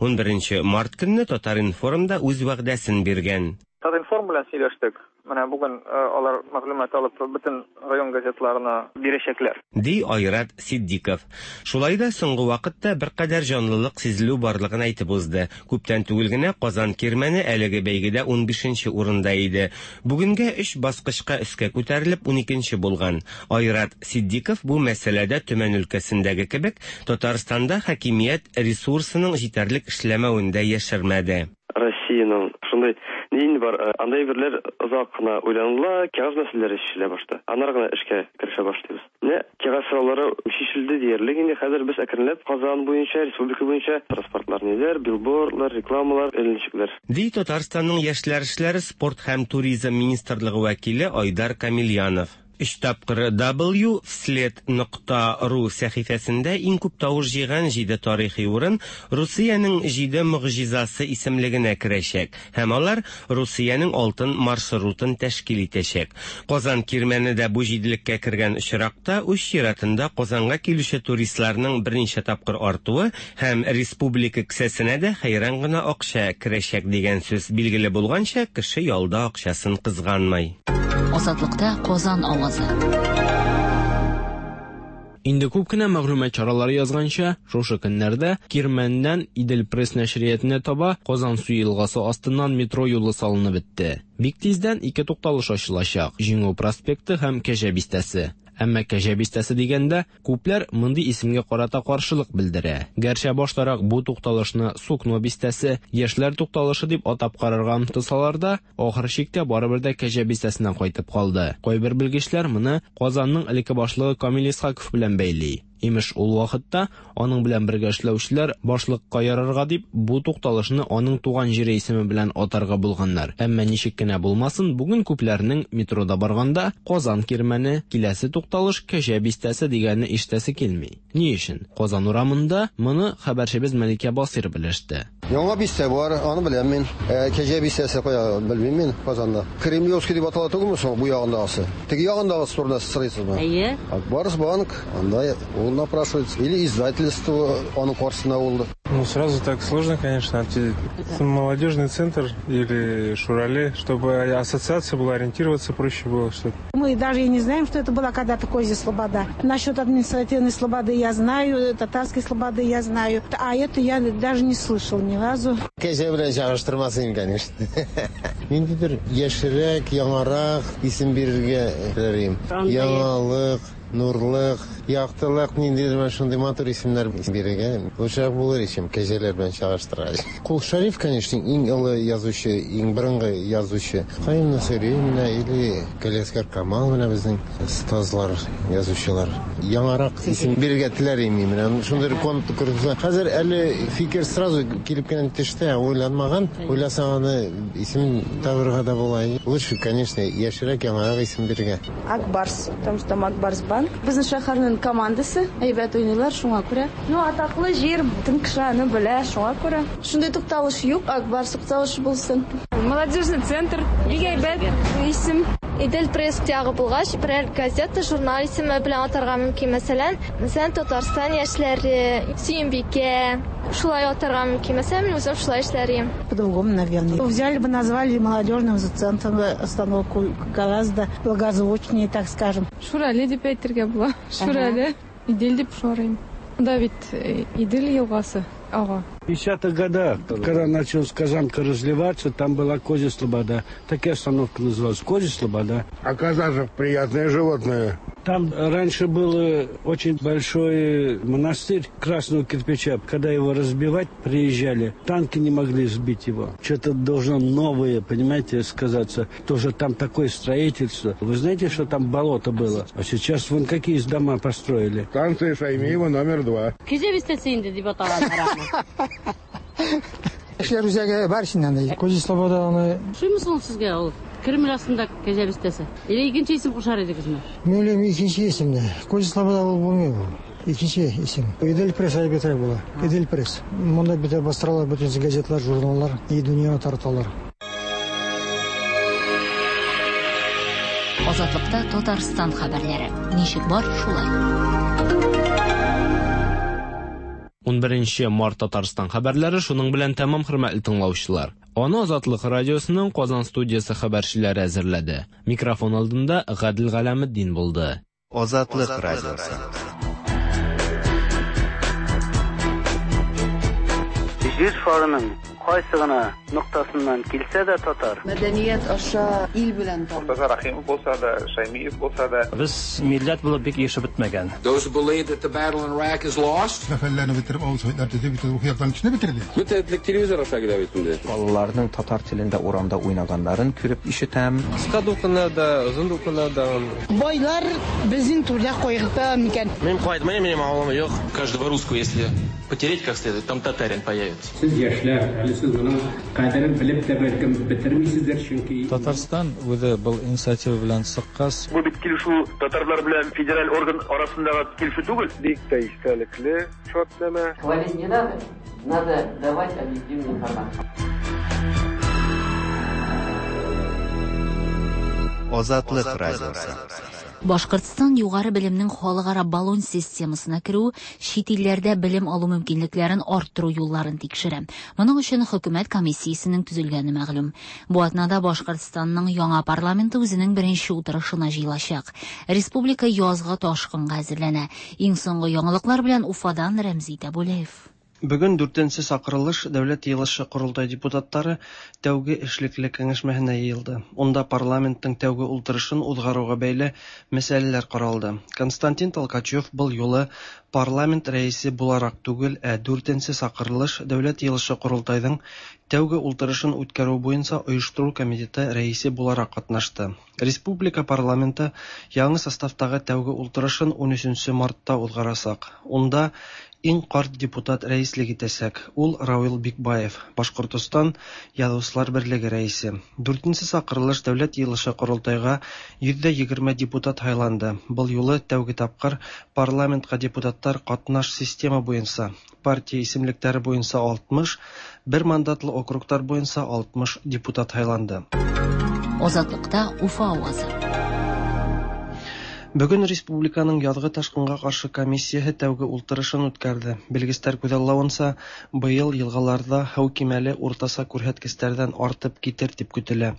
ун беренче март көнне Татар-информда үз вәгъдәсен биргән. Татар-информ белән сөйләштек. Менә бүген алар мәгълүмат алып бөтен район газетларына бирәчәкләр. Ди Айрат Сиддиков. Шулай да соңгы вакытта беркадәр җанлылык сизелү барлыгын әйтеп узды. Күптән түгел генә Казан Кирмәне әлеге бәйгедә ун бишенче урында иде. Бүгенгә өч баскычка өскә күтәрелеп ун икенче булган. Айрат Сиддиков бу мәсьәләдә Төмән өлкәсендәге кебек Татарстанда хакимият ресурсының җитәрлек эшләмәвен дә яшермәде. Россиянең шундый нин бар, андай берләр озак кына уйланыла, кәгазь мәсьәләләре чишелә башта. Аннары гына эшкә керешә башлыйбыз. Менә кәгазь сораулары чишелде диярлек инде. Хәзер без әкренләп Казан буенча, республика буенча транспортлар ниләр, билбордлар, рекламалар эленчекләр. Ди Татарстанның яшьләр эшләре, спорт һәм туризм министрлыгы вәкиле Айдар Камильянов. Өч тапкыр W вслед нокта ру сәхифәсендә иң күп тавыш җыйган җиде тарихи урын Русиянең җиде могҗизасы исемлегенә керәчәк һәм алар Русиянең алтын маршрутын тәшкил итәчәк. Казан Кирмәне дә бу җиделеккә кергән очракта үз чиратында Казанга килүче туристларның берничә тапкыр артуы һәм республика кесәсенә дә хәйран гына акча керәчәк дигән сүз. Билгеле булганча, кеше ялда акчасын кызганмый. Азатлыкта Казан авазы. Инде күп кенә мәгълүмат чаралары язганча, шушы көннәрдә Кирмәннән Идел пресс нәшриятына таба Казан су елгасы астыннан метро юлы салынып бетте. Бик тиздән ике тукталыш ачылачак: Җиңү проспекты һәм Кәҗә бистәсе. Әмма Кәҗә бистәсе дигәндә күпләр мондый исемгә карата каршылык белдерә. Гәрчә баштарак бу тукталышны Сукно бистәсе, Яшьләр тукталышы дип атап карарга омтылсалар да, ахыр чиктә барыбер дә Кәҗә бистәсенә кайтып калды. Кайбер белгечләр моны Казанның элекке башлыгы Камил Исхаков белән бәйли. Имеш, ул вакытта аның белән бергә эшләүчеләр башлыкка ярарга дип бу тукталышны аның туган җире исеме белән атарга булганнар. Әмма ничек кенә булмасын, бүген күпләрнең метрода барганда Казан Кирмәне, киләсе тукталыш Кәҗә бистәсе дигәнне ишетәсе килми. Ни өчен? Казан урамында моны хәбәрчебез Мәликә Басир белеште. Яңа бистә бар, аны беләм мин. Кәҗә бистәсе кая белмим мин Казанда. Кремлевский дип атала түгелме соң бу ягындагысы? Теге ягындагысы турында сез сорыйсызмы? Әйе. Барс банк, анда ул напрашивается. Или издательство аның каршысында булды. Ну, сразу так сложно, конечно, ответить. Молодежный центр или Шурале, чтобы ассоциация была, ориентироваться проще было. Что-то. Мы даже и не знаем, что это была когда-то Козья Слобода. Насчет административной слободы я знаю, татарской слободы я знаю, а это я даже не слышал ни разу. Кәҗә белән чагыштырмасын, конечно. Ниндидер яшьрәк, яңарак исем бирергә теләр. Яңалык, Нурлык, Яктылык, ниндидер менә шундый матур исемнәр бирергә лучшерак булыр ичем кәҗәләр белән чагыштыргач. Кол Шәриф, конечно, иң олы язучы, иң борынгы язучы. Каюм Насыйри менә или Галиәсгар Камал менә безнең остазлар, язучылар. Яңарак исем бирергә теләр идем менә. Шундый конкурс. Хәзер әле фикер сразу килеп кенә төште, уйланмаган. Уйласаң аны исем табырга да була. Лучше, конечно, яшьрәк, яңарак исем бирергә. Акбарс, потому что там Акбарс банк. Безнең шәһәрнең командасы әйбәт уйныйлар, шуңа күрә. Ну, атаклы җир, бөтен кеше аны белә, шуңа күрә. Шундый тукталыш юк, Акбарс тукталышы булсын. Молодежный центр, бик әйбәт исем. Идел пресс ягы булгач, берәр газета, журнал исеме белән атарга мөмкин. Мәсәлән, мәсәлән, Татарстан яшьләре, Сөембикә, шулай атарга мөмкин. Мәсәлән, мин үзем шулай эшләр идем. По-другому, наверное. Взяли бы, назвали молодежным центром остановку гораздо благозвучнее, так скажем. Шурале дип әйтергә була. Шурале. Идел дип шорыйм. Да бит Идел елгасы ага. В пятидесятых годах, когда началась Казанка разливаться, там была Козья Слобода. Такая остановка называлась Козья Слобода. А коза же приятное животное. Там раньше был очень большой монастырь красного кирпича. Когда его разбивать приезжали, танки не могли сбить его. Что-то должно новое, понимаете, сказаться. Тоже там такое строительство. Вы знаете, что там болото было? А сейчас вон какие дома построили. Станция Шаймиева номер два. Кәҗә бистәсе инде дип аталганнар аны. Яшьләр үзәге бар ичендә анда. Козья Слобода аны. Ошыймы ул сезгә ул? Кремль астында Кәҗә бистәсе. Или икенче исем кушар идегезме? Мин уйлыйм, икенче исемне. Козья Слобода ул булмый ул. Икенче исем. Идел пресс әйбәтрәк була. Идел пресс. Монда бит бастыралар бөтен газетлар, журналлар, и дөньяны тараталар. Азатлыкта Татарстан хәбәрләре. Ничек бар, шулай. Унберенче март Татарстан хәбәрләре шуның белән тәмам, хөрмәтле тыңлаучылар. Аны Азатлык радиосының Казан студиясе хәбәрчеләре әзерләде. Микрофон алдында Гадел Галәметдин булды. Азатлык радиосы. Җир шарының кайсы гына ноктасыннан килсә дә татар. Мәдәният аша ил белән таныш. Мортаза Рахимов булса да, Шаймиев булса да. Без милләт булып бик яшәп бетмәгән. Those who believe that the battle in Iraq is lost. Сәфәрләрне бетереп, авыл советлар төзеп, бөтен рухи яктан көчне бетерде. Бөтен телевизор аша килә бит инде. Балаларның татар телендә урамда уйнаганнарын күреп ишетәм. Кыска дулкыннар да, озын дулкыннар да. Байлар безнең түрдә кайгырта микән? Мин кайтмыйм, минем авылым юк. Каждого русского, если потереть как следует, там татарин появится. Сез яшьләр, әле сез моның кадерен белеп тә бәлкем бетермисездер, чөнки Татарстан үзе был инициатива белән чыккач. Бу бит килешү татарлар белән федераль орган арасындагы килешү түгел. Бик тә истәлекле шартнамә. Хвалить не надо, надо давать объективную информацию. Азатлык радиосы. Башкортстан югары белемнең халыкара Болон системасына керү, чит илләрдә белем алу мөмкинлекләрен арттыру юлларын тикшерә. Моның өчен хөкүмәт комиссиясенең төзелгәне мәгълүм. Бу атнада Башкортстанның яңа парламенты үзенең беренче утырышына җыелачак. Республика язгы ташкынга әзерләнә. Иң соңгы яңалыклар белән Уфадан Рәмзи Тәбүләев. Бүген дүртенче сакырылыш Дәүләт йыелышы Корылтай депутатлары тәүге эшлекле киңәшмәһенә йыелды. Унда парламенттың тәүге ултырышын узгаруга бәйле мәсьәләләр каралды. Константин Толкачев был юлы парламент рәисе буларак түгел, ә дүртенче сакырылыш Дәүләт йыелышы Корылтайның тәүге ултырышын үткәрү буенча оештыру комитеты рәисе буларак катнашты. Республика парламенты яңа составтагы тәүге ултырышын унөченче мартта узгарасак. Унда иң карт депутат рәислек итәсәк. Ул Равил Бикбаев, Башкортостан Язучылар берлеге рәисе. Дүртенче сакырылыш Дәүләт йыелышы Корылтайга йөз егерме депутат һайланды. Был юлы тәүге тапкыр парламентка депутаттар катнаш система буенча, партия исемлекләре буенча алтмыш, бер мандатлы округтар буенча алтмыш депутат һайланды. Азатлыкта Уфа авазы. Бүген республиканың язгы ташкынга каршы комиссияһы тәүге ултырышын үткәрде. Белгечләр күзаллавынча, быел елгаларда һау кимәле уртаса күрһәткечләрдән артып китер дип көтелә.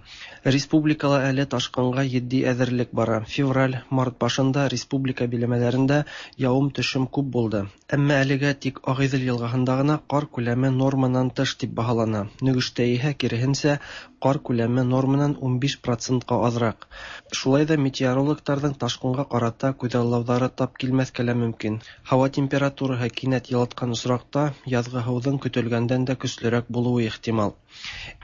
Республикала әле ташкынга етди әзерлек бара. Февраль, март башында республика биләмәләрендә явым-төшем күп булды. Әмма әлегә тик Агыйдел елгаһында гына кар күләме норманан тыш дип баһалана. Нөгештә иһә киреһенсә, кар күләме норманан унбиш процентка азрак. Шулай да метеорологларның ташкынга карата күҙаллауҙары тап килмәҫкә лә мөмкин. Һауа температураһы кинәт йылытҡан осраҡта яҙғы һыуҙың көтөлгәндән дә көслөрәк булыуы ихтимал.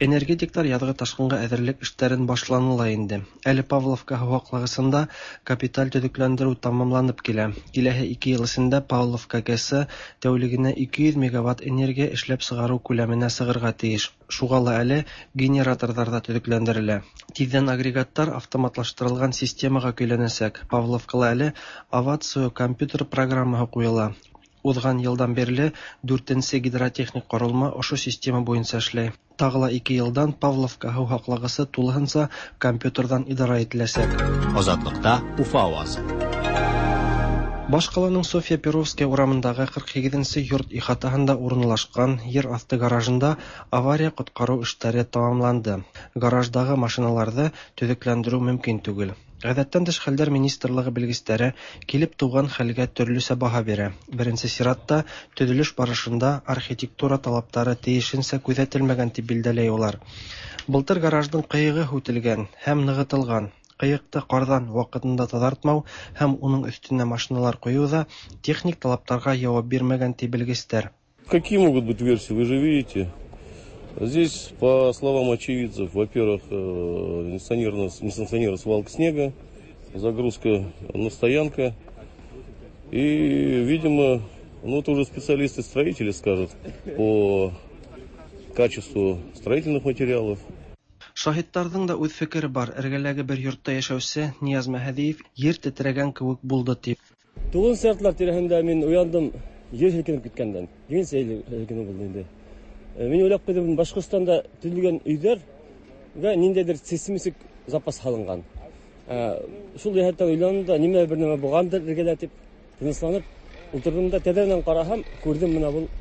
Энергетиктар яҙғы ташҡынға әҙерлек эштәрен башланы ла инде. Әле Павловка һыу һаҡлағысында капиталь төҙөкләндереү тамамланып килә. Киләһе ике йыл эсендә Павловка ГЭСы тәүлегенә ике йөҙ мегаватт энергия эшләп сығарыу күләменә сығырға тейеш. Шуға ла әле генераторҙар ҙа төҙөкләндерелә. Тиҙҙән агрегаттар автоматлаштырылған системаға көйләнәсәк. Павловкала әле Авацио компьютер программаһы ҡуйыла. Уҙған йылдан бирле дүртенсе гидротехник ҡоролма ошо система буйынса эшләй. Тағы ла ике йылдан Павловка һыу һаҡлағысы тулыһынса компьютерҙан идара ителәсәк. Азатлыҡта Уфа ауазы. Баш ҡаланың Софья Перовская урамындағы ҡырҡ һигеҙенсе йорт ихатаһында урынлашҡан ер аҫты гаражында авария ҡотҡарыу эштәре тамамланды. Гараждағы машиналарҙы төҙөкләндереү мөмкин түгел. Ғәҙәттән тыш хәлдәр министрлығы белгестәре килеп тыуған хәлгә төрлөсә баһа бирә. Беренсе сиратта төҙөлөш барышында архитектура талаптары тейешенсә күҙәтелмәгән тип билдәләй улар. Былтыр гараждың ҡыйығы һүтелгән һәм нығытылған. Ҡыйыҡты ҡарҙан ваҡытында таҙартмау һәм уның өҫтөнә машиналар ҡуйыу ҙа техник талаптарға яуап бирмәгән ти белгестәр. Какие могут быть версии, вы же видите. Здесь, по словам очевидцев, во-первых, несанкционированная свалка снега, загрузка на стоянка. И, видимо, ну это уже специалисты-строители скажут по качеству строительных материалов. Шаһиттарҙың да үҙ фекере бар. Эргәләге бер йортта йәшәүсе Нияз Мәһәҙиев ер тетрәгән кеүек булды тип. Туғыҙынсы яртылар тирәһендә мин уяндым, ер һелкенеп киткәндән. Егенсе һелкенеү булды инде. Мин уйлап ҡуйҙым, Башҡортостанда төҙөлгән өйҙәргә ниндәйҙер сейсмик запас һалынған. Шул йәһәттән уйланым да, нимә бер нәмә булғандыр эргәлә тип тынысланып ултырҙым да, тәҙрәнән ҡараһам, күрҙем бына был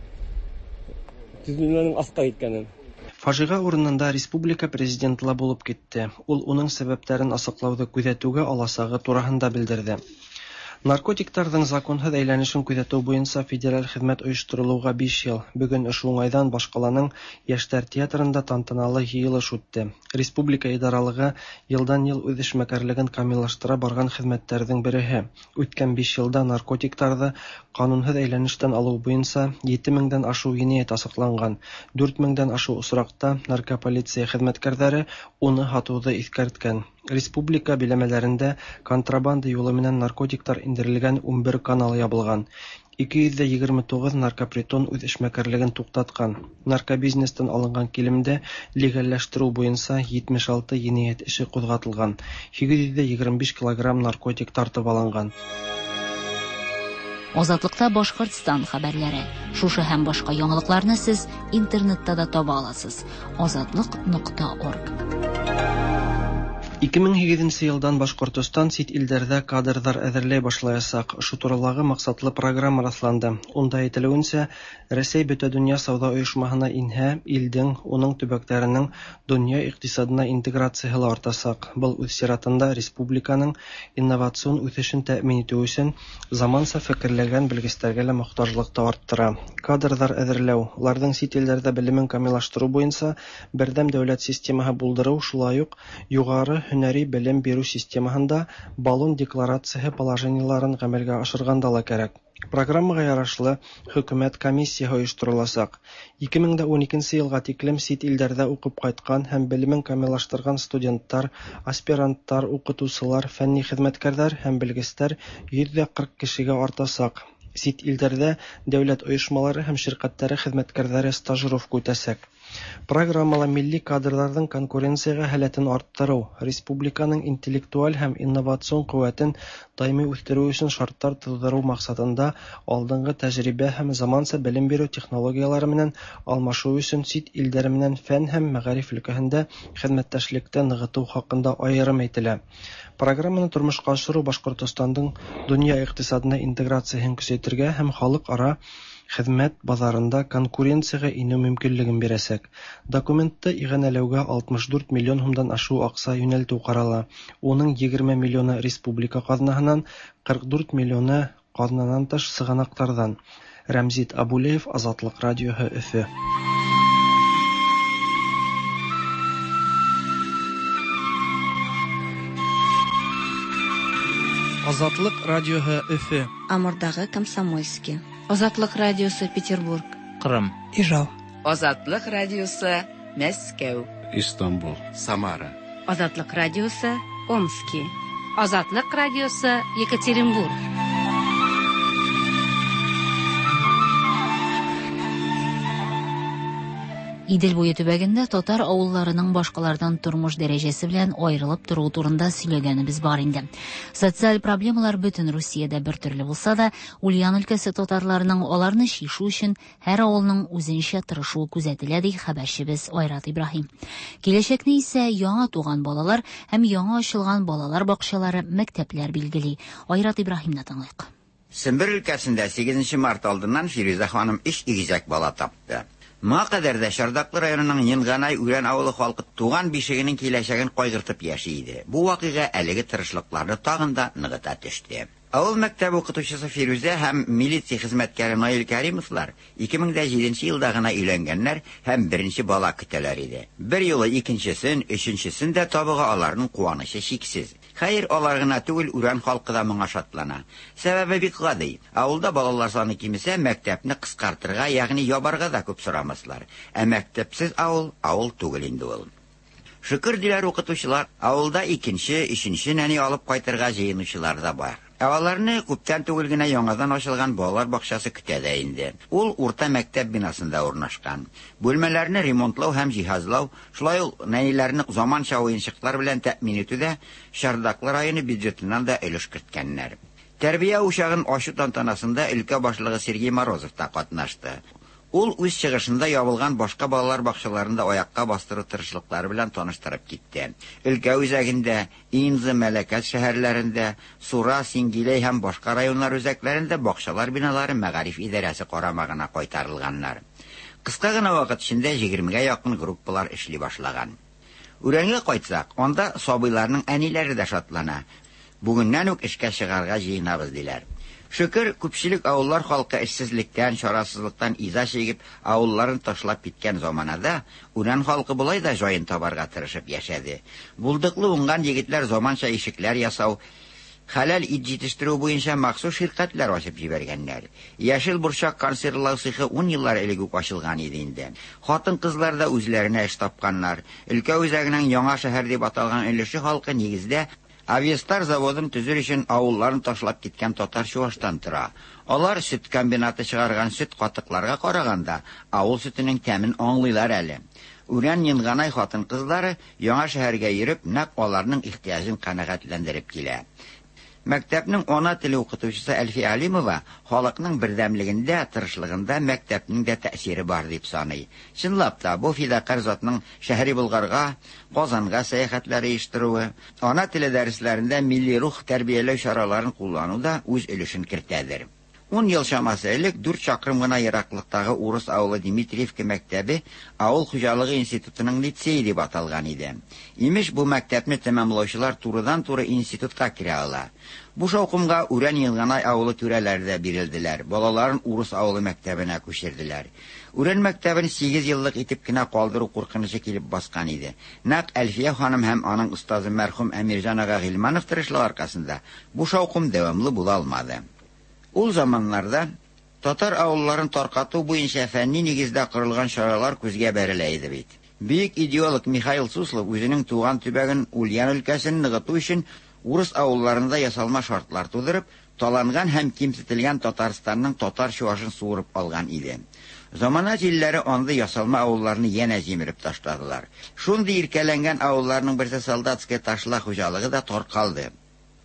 төҙөлмәнең аҫҡа киткәнен. Фажиға урынында республика президенты ла булып китте. Ул уның сәбәптәрен асыҡлауҙы күҙәтеүгә аласағы тураһында белдерҙе. Наркотиктарҙың законһыҙ әйләнешен күҙәтеү буйынса федераль хеҙмәт ойошторолоуға биш йыл. Бөгөн ошо уңайҙан баш ҡаланың Йәштәр театрында тантаналы йыйылыш үтте. Республика идаралығы йылдан-йыл үҙ эшмәкәрлеген камиллаштыра барған хеҙмәттәрҙең береһе. Үткән биш йылда наркотиктарҙы ҡанунһыҙ әйләнештән алыу буйынса ете меңдән ашыу енәйәт асыҡланған. Дүрт меңдән ашыу осраҡта наркополиция хеҙмәткәрҙәре уны һатыуҙы иҫкәрткән. Республика биләмәләрендә контрабанда юлы менән наркотиктар индерелгән ун бер канал ябылған. ике йөҙ егерме туғыҙ наркопритон үҙ эшмәкәрлеген туҡтатҡан. Наркобизнестан алынған килемде легалләштереү буйынса етмеш алты енәйәт эше ҡуҙғатылған. Һигеҙ йөҙ егерме биш килограмм наркотик тартып алынған. Азатлыкта Башкортстан хәбәрләре. Шушы һәм башка яңалыкларны сез интернетта да таба аласыз. азатлык нокта орг. ике мең һигеҙенсе йылдан Башҡортостан сит илдәрҙә кадрҙар әҙерләй башлаясаҡ. Ошо туралағы маҡсатлы программа раҫланды. Унда әйтелеүенсә, Рәсәй Бөтә донъя сауҙа ойошмаһына инһә, илдең, уның төбәктәренең донъя иҡтисадына интеграцияһы ла артасаҡ. Был үҙ сиратында республиканың инновацион үҫешен тәьмин итеү өсөн заманса фекерләгән белгестәргә лә мохтажлыҡты арттыра. Кадрҙар әҙерләү, уларҙың сит илдәрҙә белемен камиллаштырыу буйынса берҙәм дәүләт системаһы булдырыу, шулай уҡ юғары һөнәри белем биреү системаһында Болон декларацияһы положениеларын ғәмәлгә ашырғанда ла кәрәк. Программаға ярашлы хөкүмәт комиссияһы ойоштороласаҡ. ике мең ун икенсе йылға тиклем сит илдәрҙә уҡып ҡайтҡан һәм белемен камиллаштырған студенттар, аспиранттар, уҡытыусылар, фәнни хеҙмәткәрҙәр һәм белгестәр йөҙ ҙә ҡырҡ кешегә артасаҡ. Сит илдәрҙә дәүләт ойошмалары һәм ширҡәттәре хеҙмәткәрҙәре стажировка үтәсәк. Программала милли кадрҙарҙың конкуренцияға һәләтен арттырыу, республиканың интеллектуаль һәм инновацион ҡеүәтен даими үҫтереү өсөн шарттар тыуҙырыу маҡсатында алдынғы тәжрибә һәм заманса белем биреү технологиялары менән алмашыу өсөн сит илдәр менән фән һәм мәғариф өлкәһендә хеҙмәттәшлекте нығытыу хаҡында айырым әйтелә. Программаны тормошҡа ашырыу Башҡортостандың донъя иҡтисадына интеграцияһын көсәйтергә һәм халыҡ-ара хеҙмәт баҙарында конкуренцияға инеү мөмкинлеген бирәсәк. Документты иғәнәләүгә алтмыш дүрт миллион һумдан ашыу аҡса йүнәлтеү ҡарала. Уның егерме миллионы республика ҡаҙнаһынан, ҡырҡ дүрт миллионы ҡаҙнанан тыш сығанаҡтарҙан. Рәмзит Абулеев, Азатлыҡ радиоһы, Өфө. Азатлык радиоһы Өфө. Амурдагы Комсомольский. Азатлык радиосы Петербург. Кырым. Ижау. Азатлык радиосы Мәскәү. Истанбул. Самара. Азатлык радиосы Омски. Азатлык радиосы Екатеринбург. Идел буе төбәгендә татар авылларының башкалардан тормыш дәрәҗәсе белән аерылып торуы турында сөйләгәнебез бар инде. Социаль проблемалар бөтен Русиядә бер төрле булса да, Ульян өлкәсе татарларының аларны чишү өчен һәр авылның үзенчә тырышуы күзәтелә, ди хәбәрчебез Айрат Ибраһим. Киләчәкне исә яңа туган балалар һәм яңа ачылган балалар бакчалары, мәктәпләр билгели. Айрат Ибраһимны тыңлыйк. Сембер өлкәсендә сигезенче март алдыннан Фирүзә ханым өч игезәк бала тапты. Моңа кадәр дә Чардаклы районының Енганай Үрән авылы халкы туган бишегенең киләчәген кайгыртып яши иде. Бу вакыйга әлеге тырышлыкларны тагын да ныгыта төште. Авыл мәктәбе укытучысы Фирүзә һәм милиция хезмәткәре Наил Каримовлар ике мең дә җиденче елда гына өйләнгәннәр һәм беренче бала көтәләр иде. Бер юлы икенчесен, өченчесен дә табуга аларның куанычы чиксез. Хәер, алар гына түгел, Үрән халкы да моңа шатлана. Сәбәбе бик гади. Авылда балалар саны кимесә, мәктәпне кыскартырга, ягъни ябарга да күп сорамаслар. Ә мәктәпсез авыл авыл түгел инде ул. Шөкер диләр укытучылар, авылда икенче, өченче нәни алып кайтырга җыенучылар да бар. Ә аларны күптән түгел генә яңадан ачылган балалар бакчасы көтә дә инде. Ул урта мәктәп бинасында урнашкан. Бүлмәләрне ремонтлау һәм җиһазлау, шулай ук нәниләрне заманча уенчыклар белән тәэмин итүдә Чардаклы районы бюджетыннан да өлеш керткәннәр. Тәрбия учагын ачу тантанасында өлкә башлыгы Сергей Морозов та катнашты. Ул үз чыгышында ябылган башка балалар бакчаларында аякка бастыру тырышлыклары белән таныштырып китте. Өлкә үзәгендә, Инза, Мәләкәс шәһәрләрендә, Сура, Сингиләй һәм башка районнар үзәкләрендә бакчалар биналары мәгариф идарәсе карамагына кайтарылганнар. Кыска гына вакыт эчендә егермегә якын группалар эшли башлаган. Үрәнгә кайтсак, анда сабыйларның әниләре дә шатлана. Бүгеннән үк эшкә чыгарга җыенабыз диләр. Шөкер, күпчелек авыллар халкы эшсезлектән, чарасызлыктан иза чигеп, авылларын ташлап киткән заманада Үрән халкы болай да җаен табарга тырышып яшәде. Булдыклы уңган егетләр заманча ишекләр ясау, хәләл ит җитештерү буенча махсус ширкәтләр ачып җибәргәннәр. Яшел борчак консервлау цехы ун еллар элек үк ачылган иде инде. Хатын-кызлар да үзләренә эш тапканнар. Өлкә үзәгенең яңа шәһәр дип аталган өлеше халкы нигездә Авиастар заводын төзер өчен авылларын ташлап киткән татар чуаштан тора. Алар сөт комбинаты чыгарган сөт катыкларга караганда авыл сөтенең тәмен аңлыйлар әле. Үрән Енганай хатын-кызлары яңа шәһәргә йөреп, нәкъ аларның ихтыяҗын канәгатьләндереп килә. Мәктәпнең ана теле укытучысы Әлфия Алимова халыкның бердәмлегендә, тырышлыгында мәктәпнең дә тәэсире бар дип саный. Чынлап та, бу фидакар затның шәһри Болгарга, Казанга сәяхәтләре оештыруы, ана теле дәресләрендә милли рух тәрбияләү чараларын куллану да үз өлешен кертәдер. Ун ел чамасы элек дүрт чакрым гына ераклыктагы урыс авылы Дмитриевка мәктәбе авыл хуҗалыгы институтының лицее дип аталган иде. Имеш, бу мәктәпне тәмамлаучылар турыдан-туры институтка керә ала. Бу шаукымга Үрән Енганай авылы түрәләре дә бирелделәр. Балаларын урыс авылы мәктәбенә күчерделәр. Үрән мәктәбен сигез еллык итеп кенә калдыру куркынычы килеп баскан иде. Нәкъ Әлфия ханым һәм аның остазы мәрхүм Әмирҗан ага Гыйльманов тырышлыгы аркасында бу шаукым дәвамлы була алмады. Ул заманнарда татар авылларын таркату буенча фәнни нигездә корылган чаралар күзгә бәрелә иде бит. Бөек идеолог Михаил Суслов үзенең туган төбәген Ульян өлкәсен ныгыту өчен урыс авылларында ясалма шартлар тудырып, таланган һәм кимсетелгән Татарстанның татар чуашын суырып алган иде. Замана җилләре андый ясалма авылларны янә җимереп ташладылар. Шундый иркәләнгән авылларның берсе Солдатская Ташла хуҗалыгы да таркалды.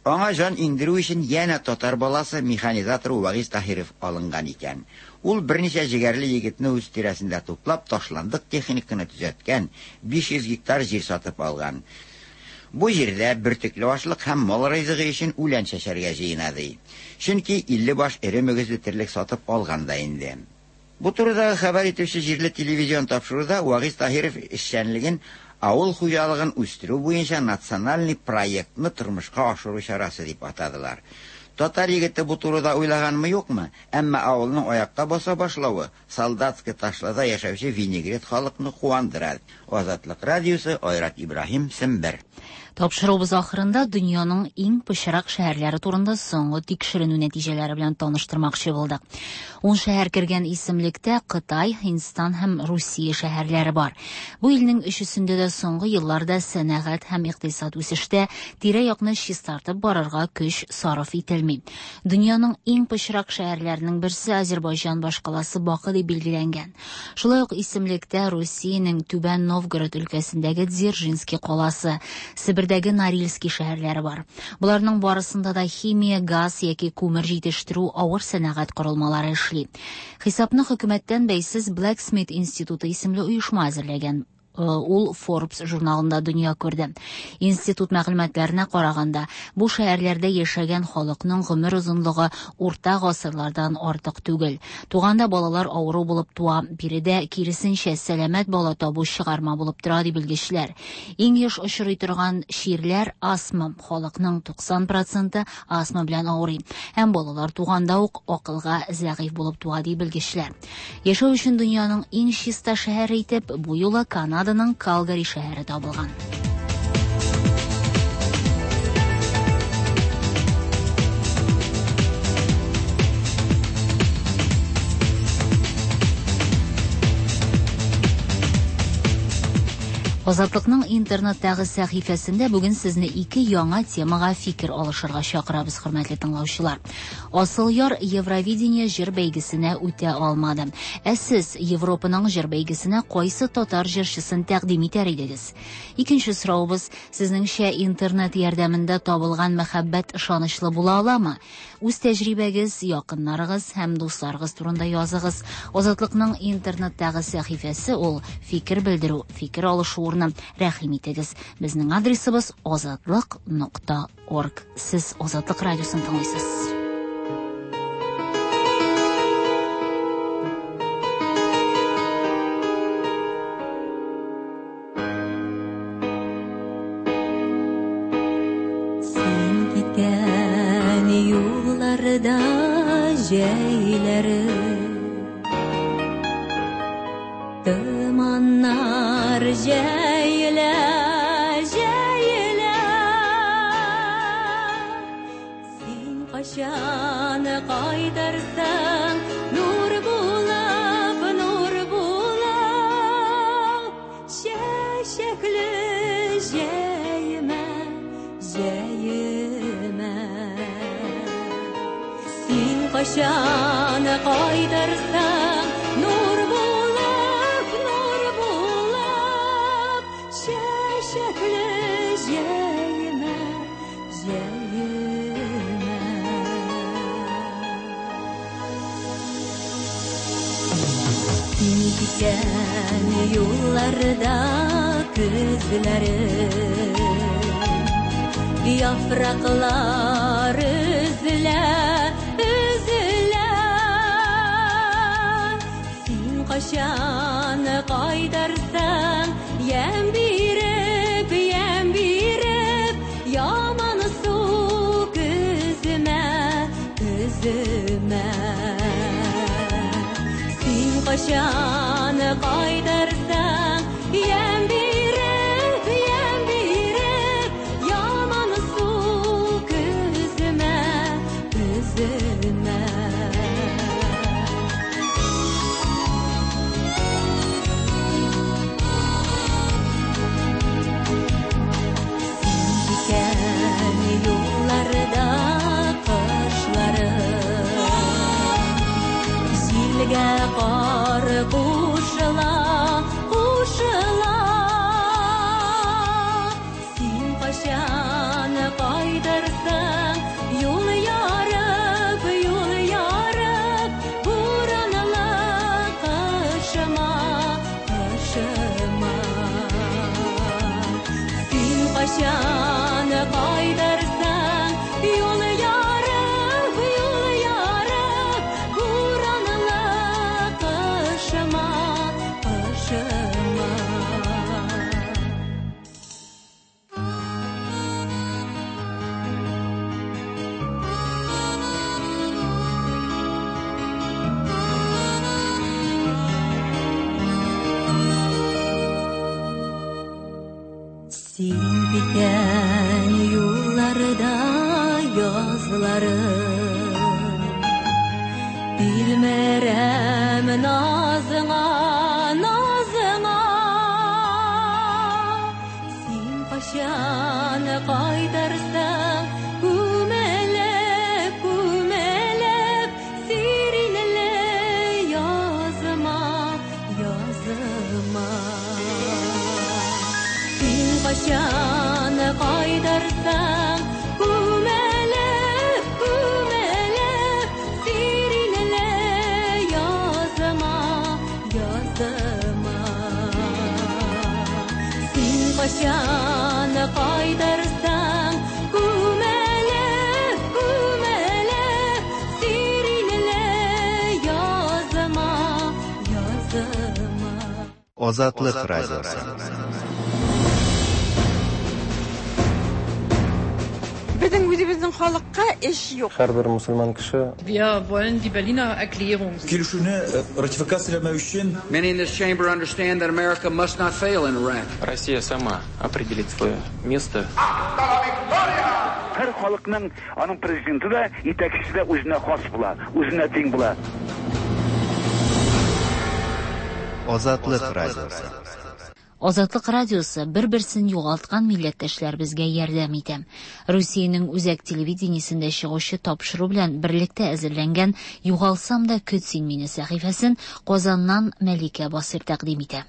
Аңа җан иңдерү өчен янә татар баласы механизатор Вагиз Таһиров алынган икән. Ул берничә җегәрле егетне үз тирәсендә туплап, ташландык техниканы төзәткән, биш йөз гектар җир сатып алган. Бу җирдә бөртекле ашлык һәм мал ризыгы өчен үлән чәчәргә җыена ди. Чөнки илле баш эре мөгезле терлек сатып алган да инде. Бу турыдагы хәбәр итүче җирле телевизион тапшыруда Вагиз Таһиров эшчәнлеген авыл хуҗалыгын үстерү буенча национальный проектны тормышка ашыру чарасы дип атадылар. Татар егете бу турыда уйлаганмы юкмы, әмма авылның аякка баса башлавы Солдатская Ташлада яшәүче винегрет халыкны куандыра. Азатлык радиосы, Айрат Ибраһим, Сембер. Тапшыруыбыз ахырында дөньяның иң пычрак шәһәрләре турында соңгы тикшеренү нәтиҗәләре белән таныштырмакчы булдык. Ун шәһәр кергән исемлектә Кытай, Һиндстан һәм Русия шәһәрләре бар. Бу илнең өчесендә дә соңгы елларда сәнәгать һәм икътисад үсештә, тирә-якны чистартып барырга көч сарыф ителми. Дөньяның иң пычрак шәһәрләренең берсе Азербайҗан башкаласы Бакы дип билгеләнгән. Шулай ук исемлектә Русиянең Түбән Новгород өлкәсендәге Дзержинский каласы, Себер Себердәге Норильский шәһәрләре бар. Боларның барысында да химия, газ яки күмер җитештерү авыр сәнәгать корылмалары эшли. Хисапны хөкүмәттән бәйсез Blacksmith институты исемле оешма әзерләгән. Ул Forbes журналында дөнья күрде. Институт мәгълүматларына караганда, бу шәһәрләрдә яшәгән халыкның гомер озынлыгы урта гасырлардан артык түгел. Туганда балалар авыру булып туа, биредә киресенчә сәламәт бала табу чыгарма булып тора, ди белгечләр. Иң еш очрый торган чирләр астма. Халыкның туксан проценты астма белән авырый. Һәм балалар туганда ук акылга зәгыйфь булып туа, ди белгечләр. Яшәү өчен дөньяның иң чиста шәһәре итеп бу юлы Канада Калгари шәһәре табылган. Азатлыкның интернеттагы сәхифәсендә бүген сезне ике яңа темага фикер алышырга чакырабыз, хөрмәтле тыңлаучылар. Асылъяр Евровидение җыр бәйгесенә үтә алмады. Ә сез Европаның җыр бәйгесенә кайсы татар җырчысын тәкъдим итәр идегез? Икенче соравыбыз: сезнеңчә интернет ярдәмендә табылган мәхәббәт ышанычлы була аламы? Үз тәҗрибәгез, якыннарыгыз һәм дусларыгыз турында языгыз. Азатлыкның интернеттагы сәхифәсе ул фикер белдерү, фикер алышу урыны. Рәхим итегез. Безнең адресыбыз азатлык нокта орг. Сез Азатлык радиосын тыңлыйсыз. Син киткән юлларда җәйләре томаннар җәелә, җәелә. Син кайчан кайтырсың, нур булып, нур булып, чәчәкле җәемә, җәемә. Син кайчан кайтырсың, нур булып, нур булып, чәчәкле җәемә, җәемә. Син киткән юлларда көзләре яфраклар өзелә, өзелә. Син кайчан кайтырсың, ямь биреп, ямь биреп, яман су көземә, көземә. Син кайчан кайтырсың, ямь биреп, ямь биреп, яман су көземә, көземә. Син киткән юлларда кышлары җилгә кар Син киткән юлларда язларым, тилмерәм назыңа, назыңа. Син кайчан кайтырсың, күмелеп, күмелеп, сиренле языма, языма. Син кайчан кайтырсың, күмелеп, күмелеп, сиренле языма, языма. Син кайчан кайтырсың, күмелеп, күмелеп, сиренле языма, языма. Азатлык радиосы. Безнең үзебезнең халыкка эш юк. Һәрбер мөселман кеше Wir wollen die Berliner Erklärung. Килешүне ратификацияләмәү өчен Many in this chamber understand that America must not fail in Iraq. Россия сама определит свое место. Һәр халыкның аның президенты да, итәкчесе дә үзенә хас була, үзенә тиң була. Азатлык радиосы. Азатлык радиосы бер-берсен югалткан милләттәшләребезгә ярдәм итә. Русиянең үзәк телевидениесендә чыгучы тапшыру белән берлектә әзерләнгән «Югалсам да көт син мине» сәхифәсен Казаннан Мәликә Басыр тәкъдим итә.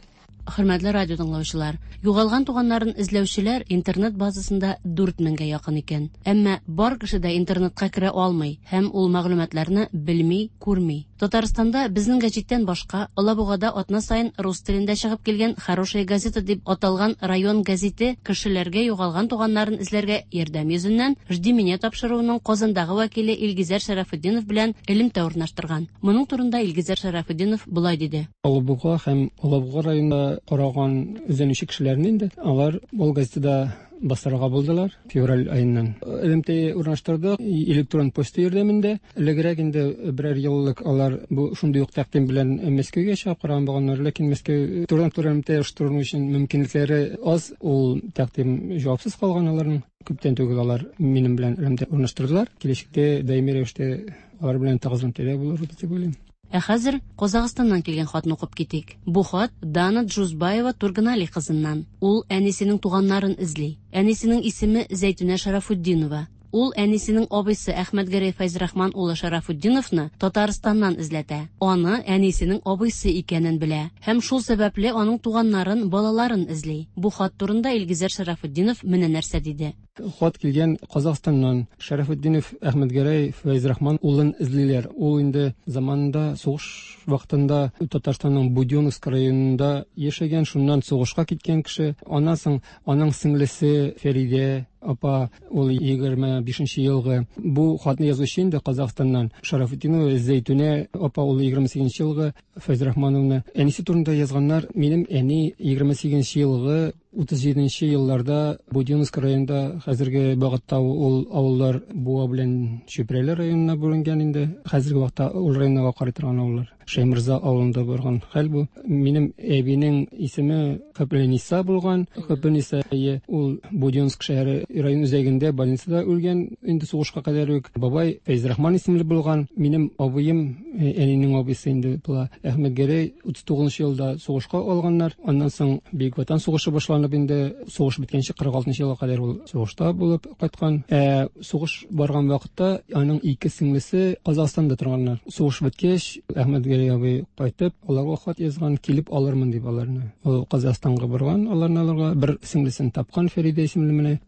Хөрмәтле радио тыңлаучылар, югалган туганнарын эзләүчеләр интернет базасында дүрт меңгә якын икән. Әмма бар кеше дә интернетка керә алмый һәм ул мәгълүматларны белми, күрми. Татарстанда безнең гәҗиттән башка Алабугада атна саен рус телендә чыгып килгән «Хорошая газета» дип аталган район гәзите кешеләргә югалган туганнарын эзләргә ярдәм йөзеннән «Жди меня» тапшыруының Казандагы вәкиле Илгизәр Шәрәфетдинов белән элемтә урнаштырган. Моның турында Илгизәр Шәрәфетдинов болай диде. Алабуга һәм Алабуга районында караган эзләнүче кешеләрне инде алар ул газетада бастырырга булдылар февраль аеннан. Элемтә урнаштырдык электрон почта ярдәмендә. Элегрәк инде берәр еллык алар бу шундый ук тәкъдим белән Мәскәүгә чыгып караган булганнар, ләкин Мәскәү турыдан-туры элемтә оештыру өчен мөмкинлекләре аз, ул тәкъдим җавапсыз калган аларның. Күптән түгел алар минем белән элемтә урнаштырдылар. Киләчәктә даими рәвештә алар белән тыгыз элемтәдә булырбыз дип уйлыйм. Ә хәзер Казахстаннан килгән хатны укып китик. Бу хат Дана Джузбаева Турганали кызыннан. Ул әнисенең туганнарын эзли. Әнисенең исеме Зәйтүнә Шарафутдинова. Ул әнисенең абыйсы Әхмәтгәрәй Фәйзрахман улы Шарафутдиновны Татарстаннан эзләтә. Аны әнисенең абыйсы икәнен белә һәм шул сәбәпле аның туганнарын, балаларын эзли. Бу хат турында Илгизәр Шарафутдинов менә нәрсә диде. Хат килгән Казахстаннан. Шарафутдинов Әхмәтгәрәй Фәйзрахман улын эзлиләр. Ул инде заманында сугыш вакытында Татарстанның Будённовск районында яшәгән, шуннан сугышка киткән кеше. Аннан соң аның сеңлесе Фәридә апа, ул егерме бишенче елгы. Бу хатны язучы инде Казахстаннан Шарафутдинова Зәйтүнә апа, ул егерме сигезенче елгы Фәйзрахмановна. Әнисе турында язганнар. Минем әни егерме сигезенче елгы утыз җиденче елларда Будённовск районында, хәзерге вакытта ул авыллар Буа белән Чүпрәле районына бүленгән инде. Хәзерге вакытта ул районга карый торган авыллар. Шәймырза авылында барган хәл бу. Минем әбинең исеме Хөппениса булган. Хөппениса ул Будённовск шәһәре район үзәгендә больницада үлгән инде сугышка кадәр үк. Бабай Фәйзрахман исемле булган. Минем абыем, әнинең абыйсы инде була, Әхмәтгәрәй утыз тугызынчы елда сугышка алганнар. Аннан соң Бөек Ватан сугышы башланып инде сугыш беткәнче кырык алтынчы елга кадәр ул сугышта булып кайткан. Ә сугыш барган вакытта аның ике сеңлесе Казахстанда торганнар. Сугыш беткәч, Әхмәтгәрәй абый кайтып, аларга хат язган, килеп алырмын дип аларны. Ул Казахстанга барган, аларны алырга бер сеңлесен тапкан, Фәридә исемле менә.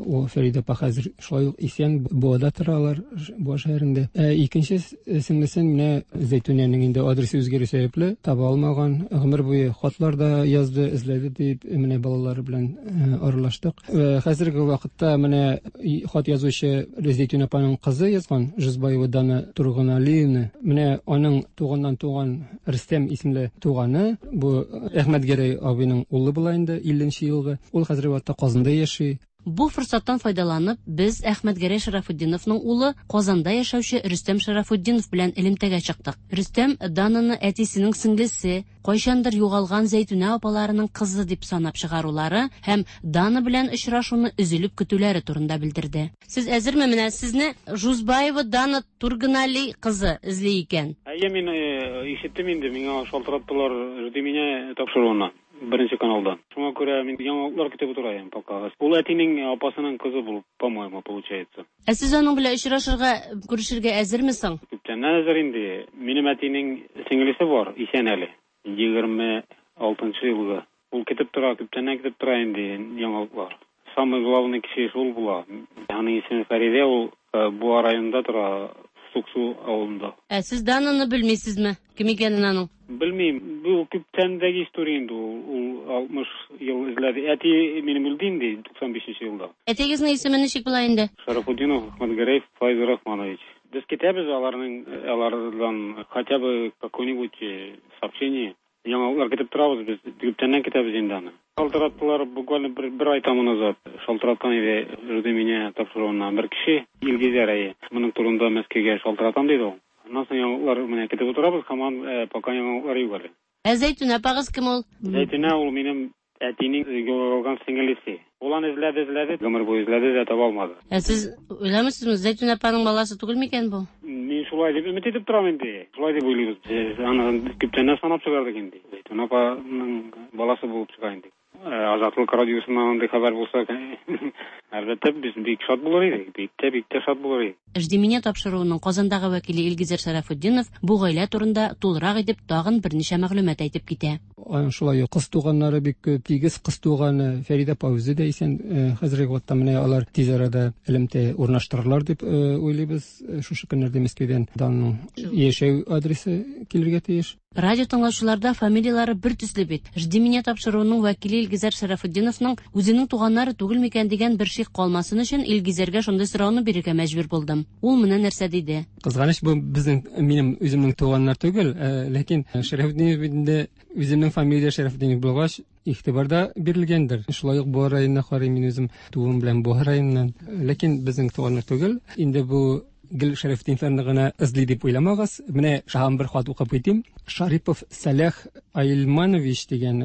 Ул Фәридә апа хәзер шулай ук исән, Буада тора алар, Буа шәһәрендә. Ә икенче сеңлесен менә Зәйтүнәнең инде адресы үзгәрү сәбәпле таба алмаган. Гомер буе хатлар да язды, эзләде дип менә балалары белән аралаштык. Хәзерге вакытта менә хат язучы Зәйтүнә апаның кызы язган, Жузбаева Дана Турганалиевна. Менә аның туганнан туган Рөстәм исемле туганы, бу Әхмәтгәрәй абыйның улы була инде, илленче елгы. Ул хәзерге вакытта Казанда яши. Бу форсаттан файдаланып, без Әхмәтгәрәй Шарафутдиновның улы Казанда яшәүче Рөстәм Шарафутдинов белән элемтәгә чыктык. Рөстәм Дананы әтисенең сеңлесе, кайчандыр югалган Зәйтүнә апаларының кызы дип санап чыгарулары һәм Дана белән очрашуны өзелеп көтүләре турында белдерде. Сез әзерме? Менә сезне Жузбаева Дана Турганали кызы эзли икән. Әйе, мин ишеттем инде, миңа шалтыраттылар «Жди меня» тапшыруына, беренче каналдан. Шуңа күрә мин яңалыклар көтеп утырам пока. Ул әтинең апасының кызы булып, по-моему, получается. Ә сез аның белән очрашырга, күрешергә әзерме соң? Күптәннән әзер инде. Минем әтинең сеңлесе бар, исән әле. Егерме алтынчы елгы. Ул көтеп тора, күптәннән көтеп тора инде яңалыклар. Самый главный кеше шул була. Аның исеме Фәридә, ул Буа районында тора, Суксу авылында. Ә сез Дананы белмисезме? Кем икәнен аның? Белмим. Бу күптәндәге история инде ул. Ул алтмыш ел эзләде. Әти минем үлде инде туксан бишенче елда. Әтигезнең исеме ничек була инде? Шарафутдинов Әхмәтгәрәй Файз Рахманович. Без көтәбез аларның, алардан хотя бы какое-нибудь сообщение. Яңалыклар көтеп торабыз без, күптәннән көтәбез инде аны. Шалтыраттылар буквально бер, бер ай тому назад. Шалтыраткан иде «Жди меня» тапшыруыннан бер кеше, Илгизәр әйе. Моның турында Мәскәүгә шалтыратам диде ул. Аннан соң яңалыклар менә көтеп утырабыз, һаман пока яңалыклар юк әле. Ә Зәйтүнә апагыз кем ул? Зәйтүнә ул минем әтинең югалган сеңлесе. Ул аны эзләде, эзләде, гомер буе эзләде дә таба алмады. Ә сез уйламыйсызмы, Зәйтүнә апаның баласы түгел микән бу? Мин шулай дип өмет итеп торам инде. Шулай дип уйлыйбыз. Без аны күптәннән санап чыгардык инде. Зәйтүнә апаның баласы булып чыга инде. Азатлык радиосыннан андый хәбәр булса, әлбәттә, без бик шат булыр идек, бик тә, бик тә шат булыр идек. «Жди меня» тапшыруының Казандагы вәкиле Илгизәр Шарафутдинов бу гаилә турында тулырак итеп тагын берничә мәгълүмат әйтеп китә. Аның шулай ук кыз туганнары бик күп, тигез кыз туганы Фәридә апа үзе дә исән. Хәзерге вакытта менә алар тиз арада элемтә урнаштырырлар дип уйлыйбыз. Шушы көннәрдә Мәскәүдән Данның яшәү адресы килергә тиеш. Радио тыңлаучыларда фамилиялары бер төсле бит. «Жди меня» тапшыруының вәкиле Илгизәр Шарафутдиновның үзенең туганнары түгел микән дигән бер шик калмасын өчен Илгизәргә шундый сорауны бирергә мәҗбүр булдым. Ул менә нәрсә диде. Кызганыч, бу безнең, минем үземнең туганнар түгел, ләкин Шарафутдинов инде үземнең фамилия Шарафутдинов булгач, игътибар да бирелгәндер. Шулай ук Буа районына карыйм, мин үзем туым белән Буа районыннан. Ләкин безнең туганнар түгел. Инде бу гел Шарафутдиновларны гына эзли дип уйламагыз. Менә шагын бер хат укып китим. Шарипов Сәлах Айлманович дигән,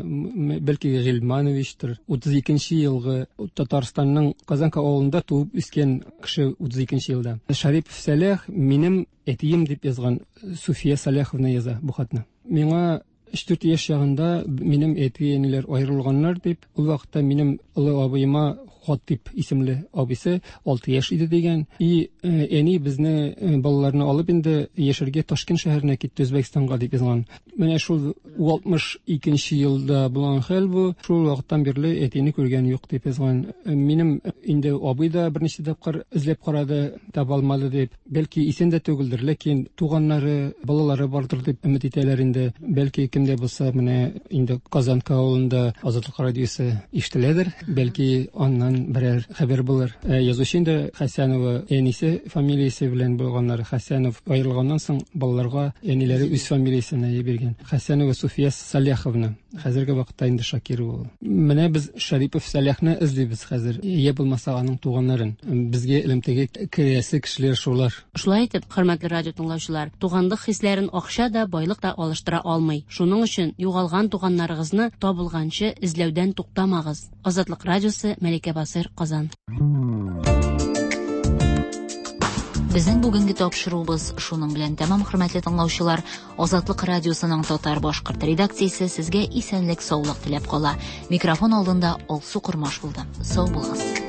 бәлки Гыйльмановичтыр, утыз икенче елгы Татарстанның Казанка авылында туып үскән кеше, утыз икенче елда. Шарипов Сәлах минем әтием дип язган Суфия Саляховна яза бу хатны. Миңа өч-дүрт яшь чагында минем әти-әниләр аерылганнар дип, ул вакытта минем олы абыема Хатип исемле абыйсы алты яшь иде дигән. И әни безне балаларны алып инде яшәргә Ташкент шәһәренә китте, Үзбәкстанга дип язган. Менә шул алтмыш икенче елда булган хәл бу. Шул вакыттан бирле әтине күргән юк дип язган. Минем инде абый да берничә тапкыр эзләп карады, таба алмады дип. Бәлки исән дә түгелдер, ләкин туганнары, балалары бардыр дип өмет итәләр инде. Бәлки кемдә булса, менә инде Казанка авылында Азатлык радиосы ишетеләдер. Бәлки аннан берәр хәбәр булыр. Язучы инде Хәсәнова әнисе фамилиясе белән булганнар. Хәсәнов аерылганнан соң балаларга әниләре үз фамилиясен биргән. Хәсәнова Суфия Саляховна. Хәзерге вакытта инде Шакирова ул. Менә без Шарипов Саляхны эзлибез хәзер. Я булмаса аның туганнарын. Безгә элемтәгә керәсе кешеләр шулар. Шулай итеп, хөрмәтле радио тыңлаучылар, туганлык хисләрен акча да, байлык та алыштыра алмый. Шуның өчен югалган туганнарыгызны табылганчы эзләүдән туктамагыз. Азатлык радиосы, Мәликә Басыр, Казан. Безнең бүгенге тапшыруыбыз шуның белән тәмам, хөрмәтле тыңлаучылар. Азатлык радиосының татар-башкорт редакциясе сезгә исәнлек, саулык теләп кала. Микрофон алдында Алсу Кормаш булды. Сау булыгыз.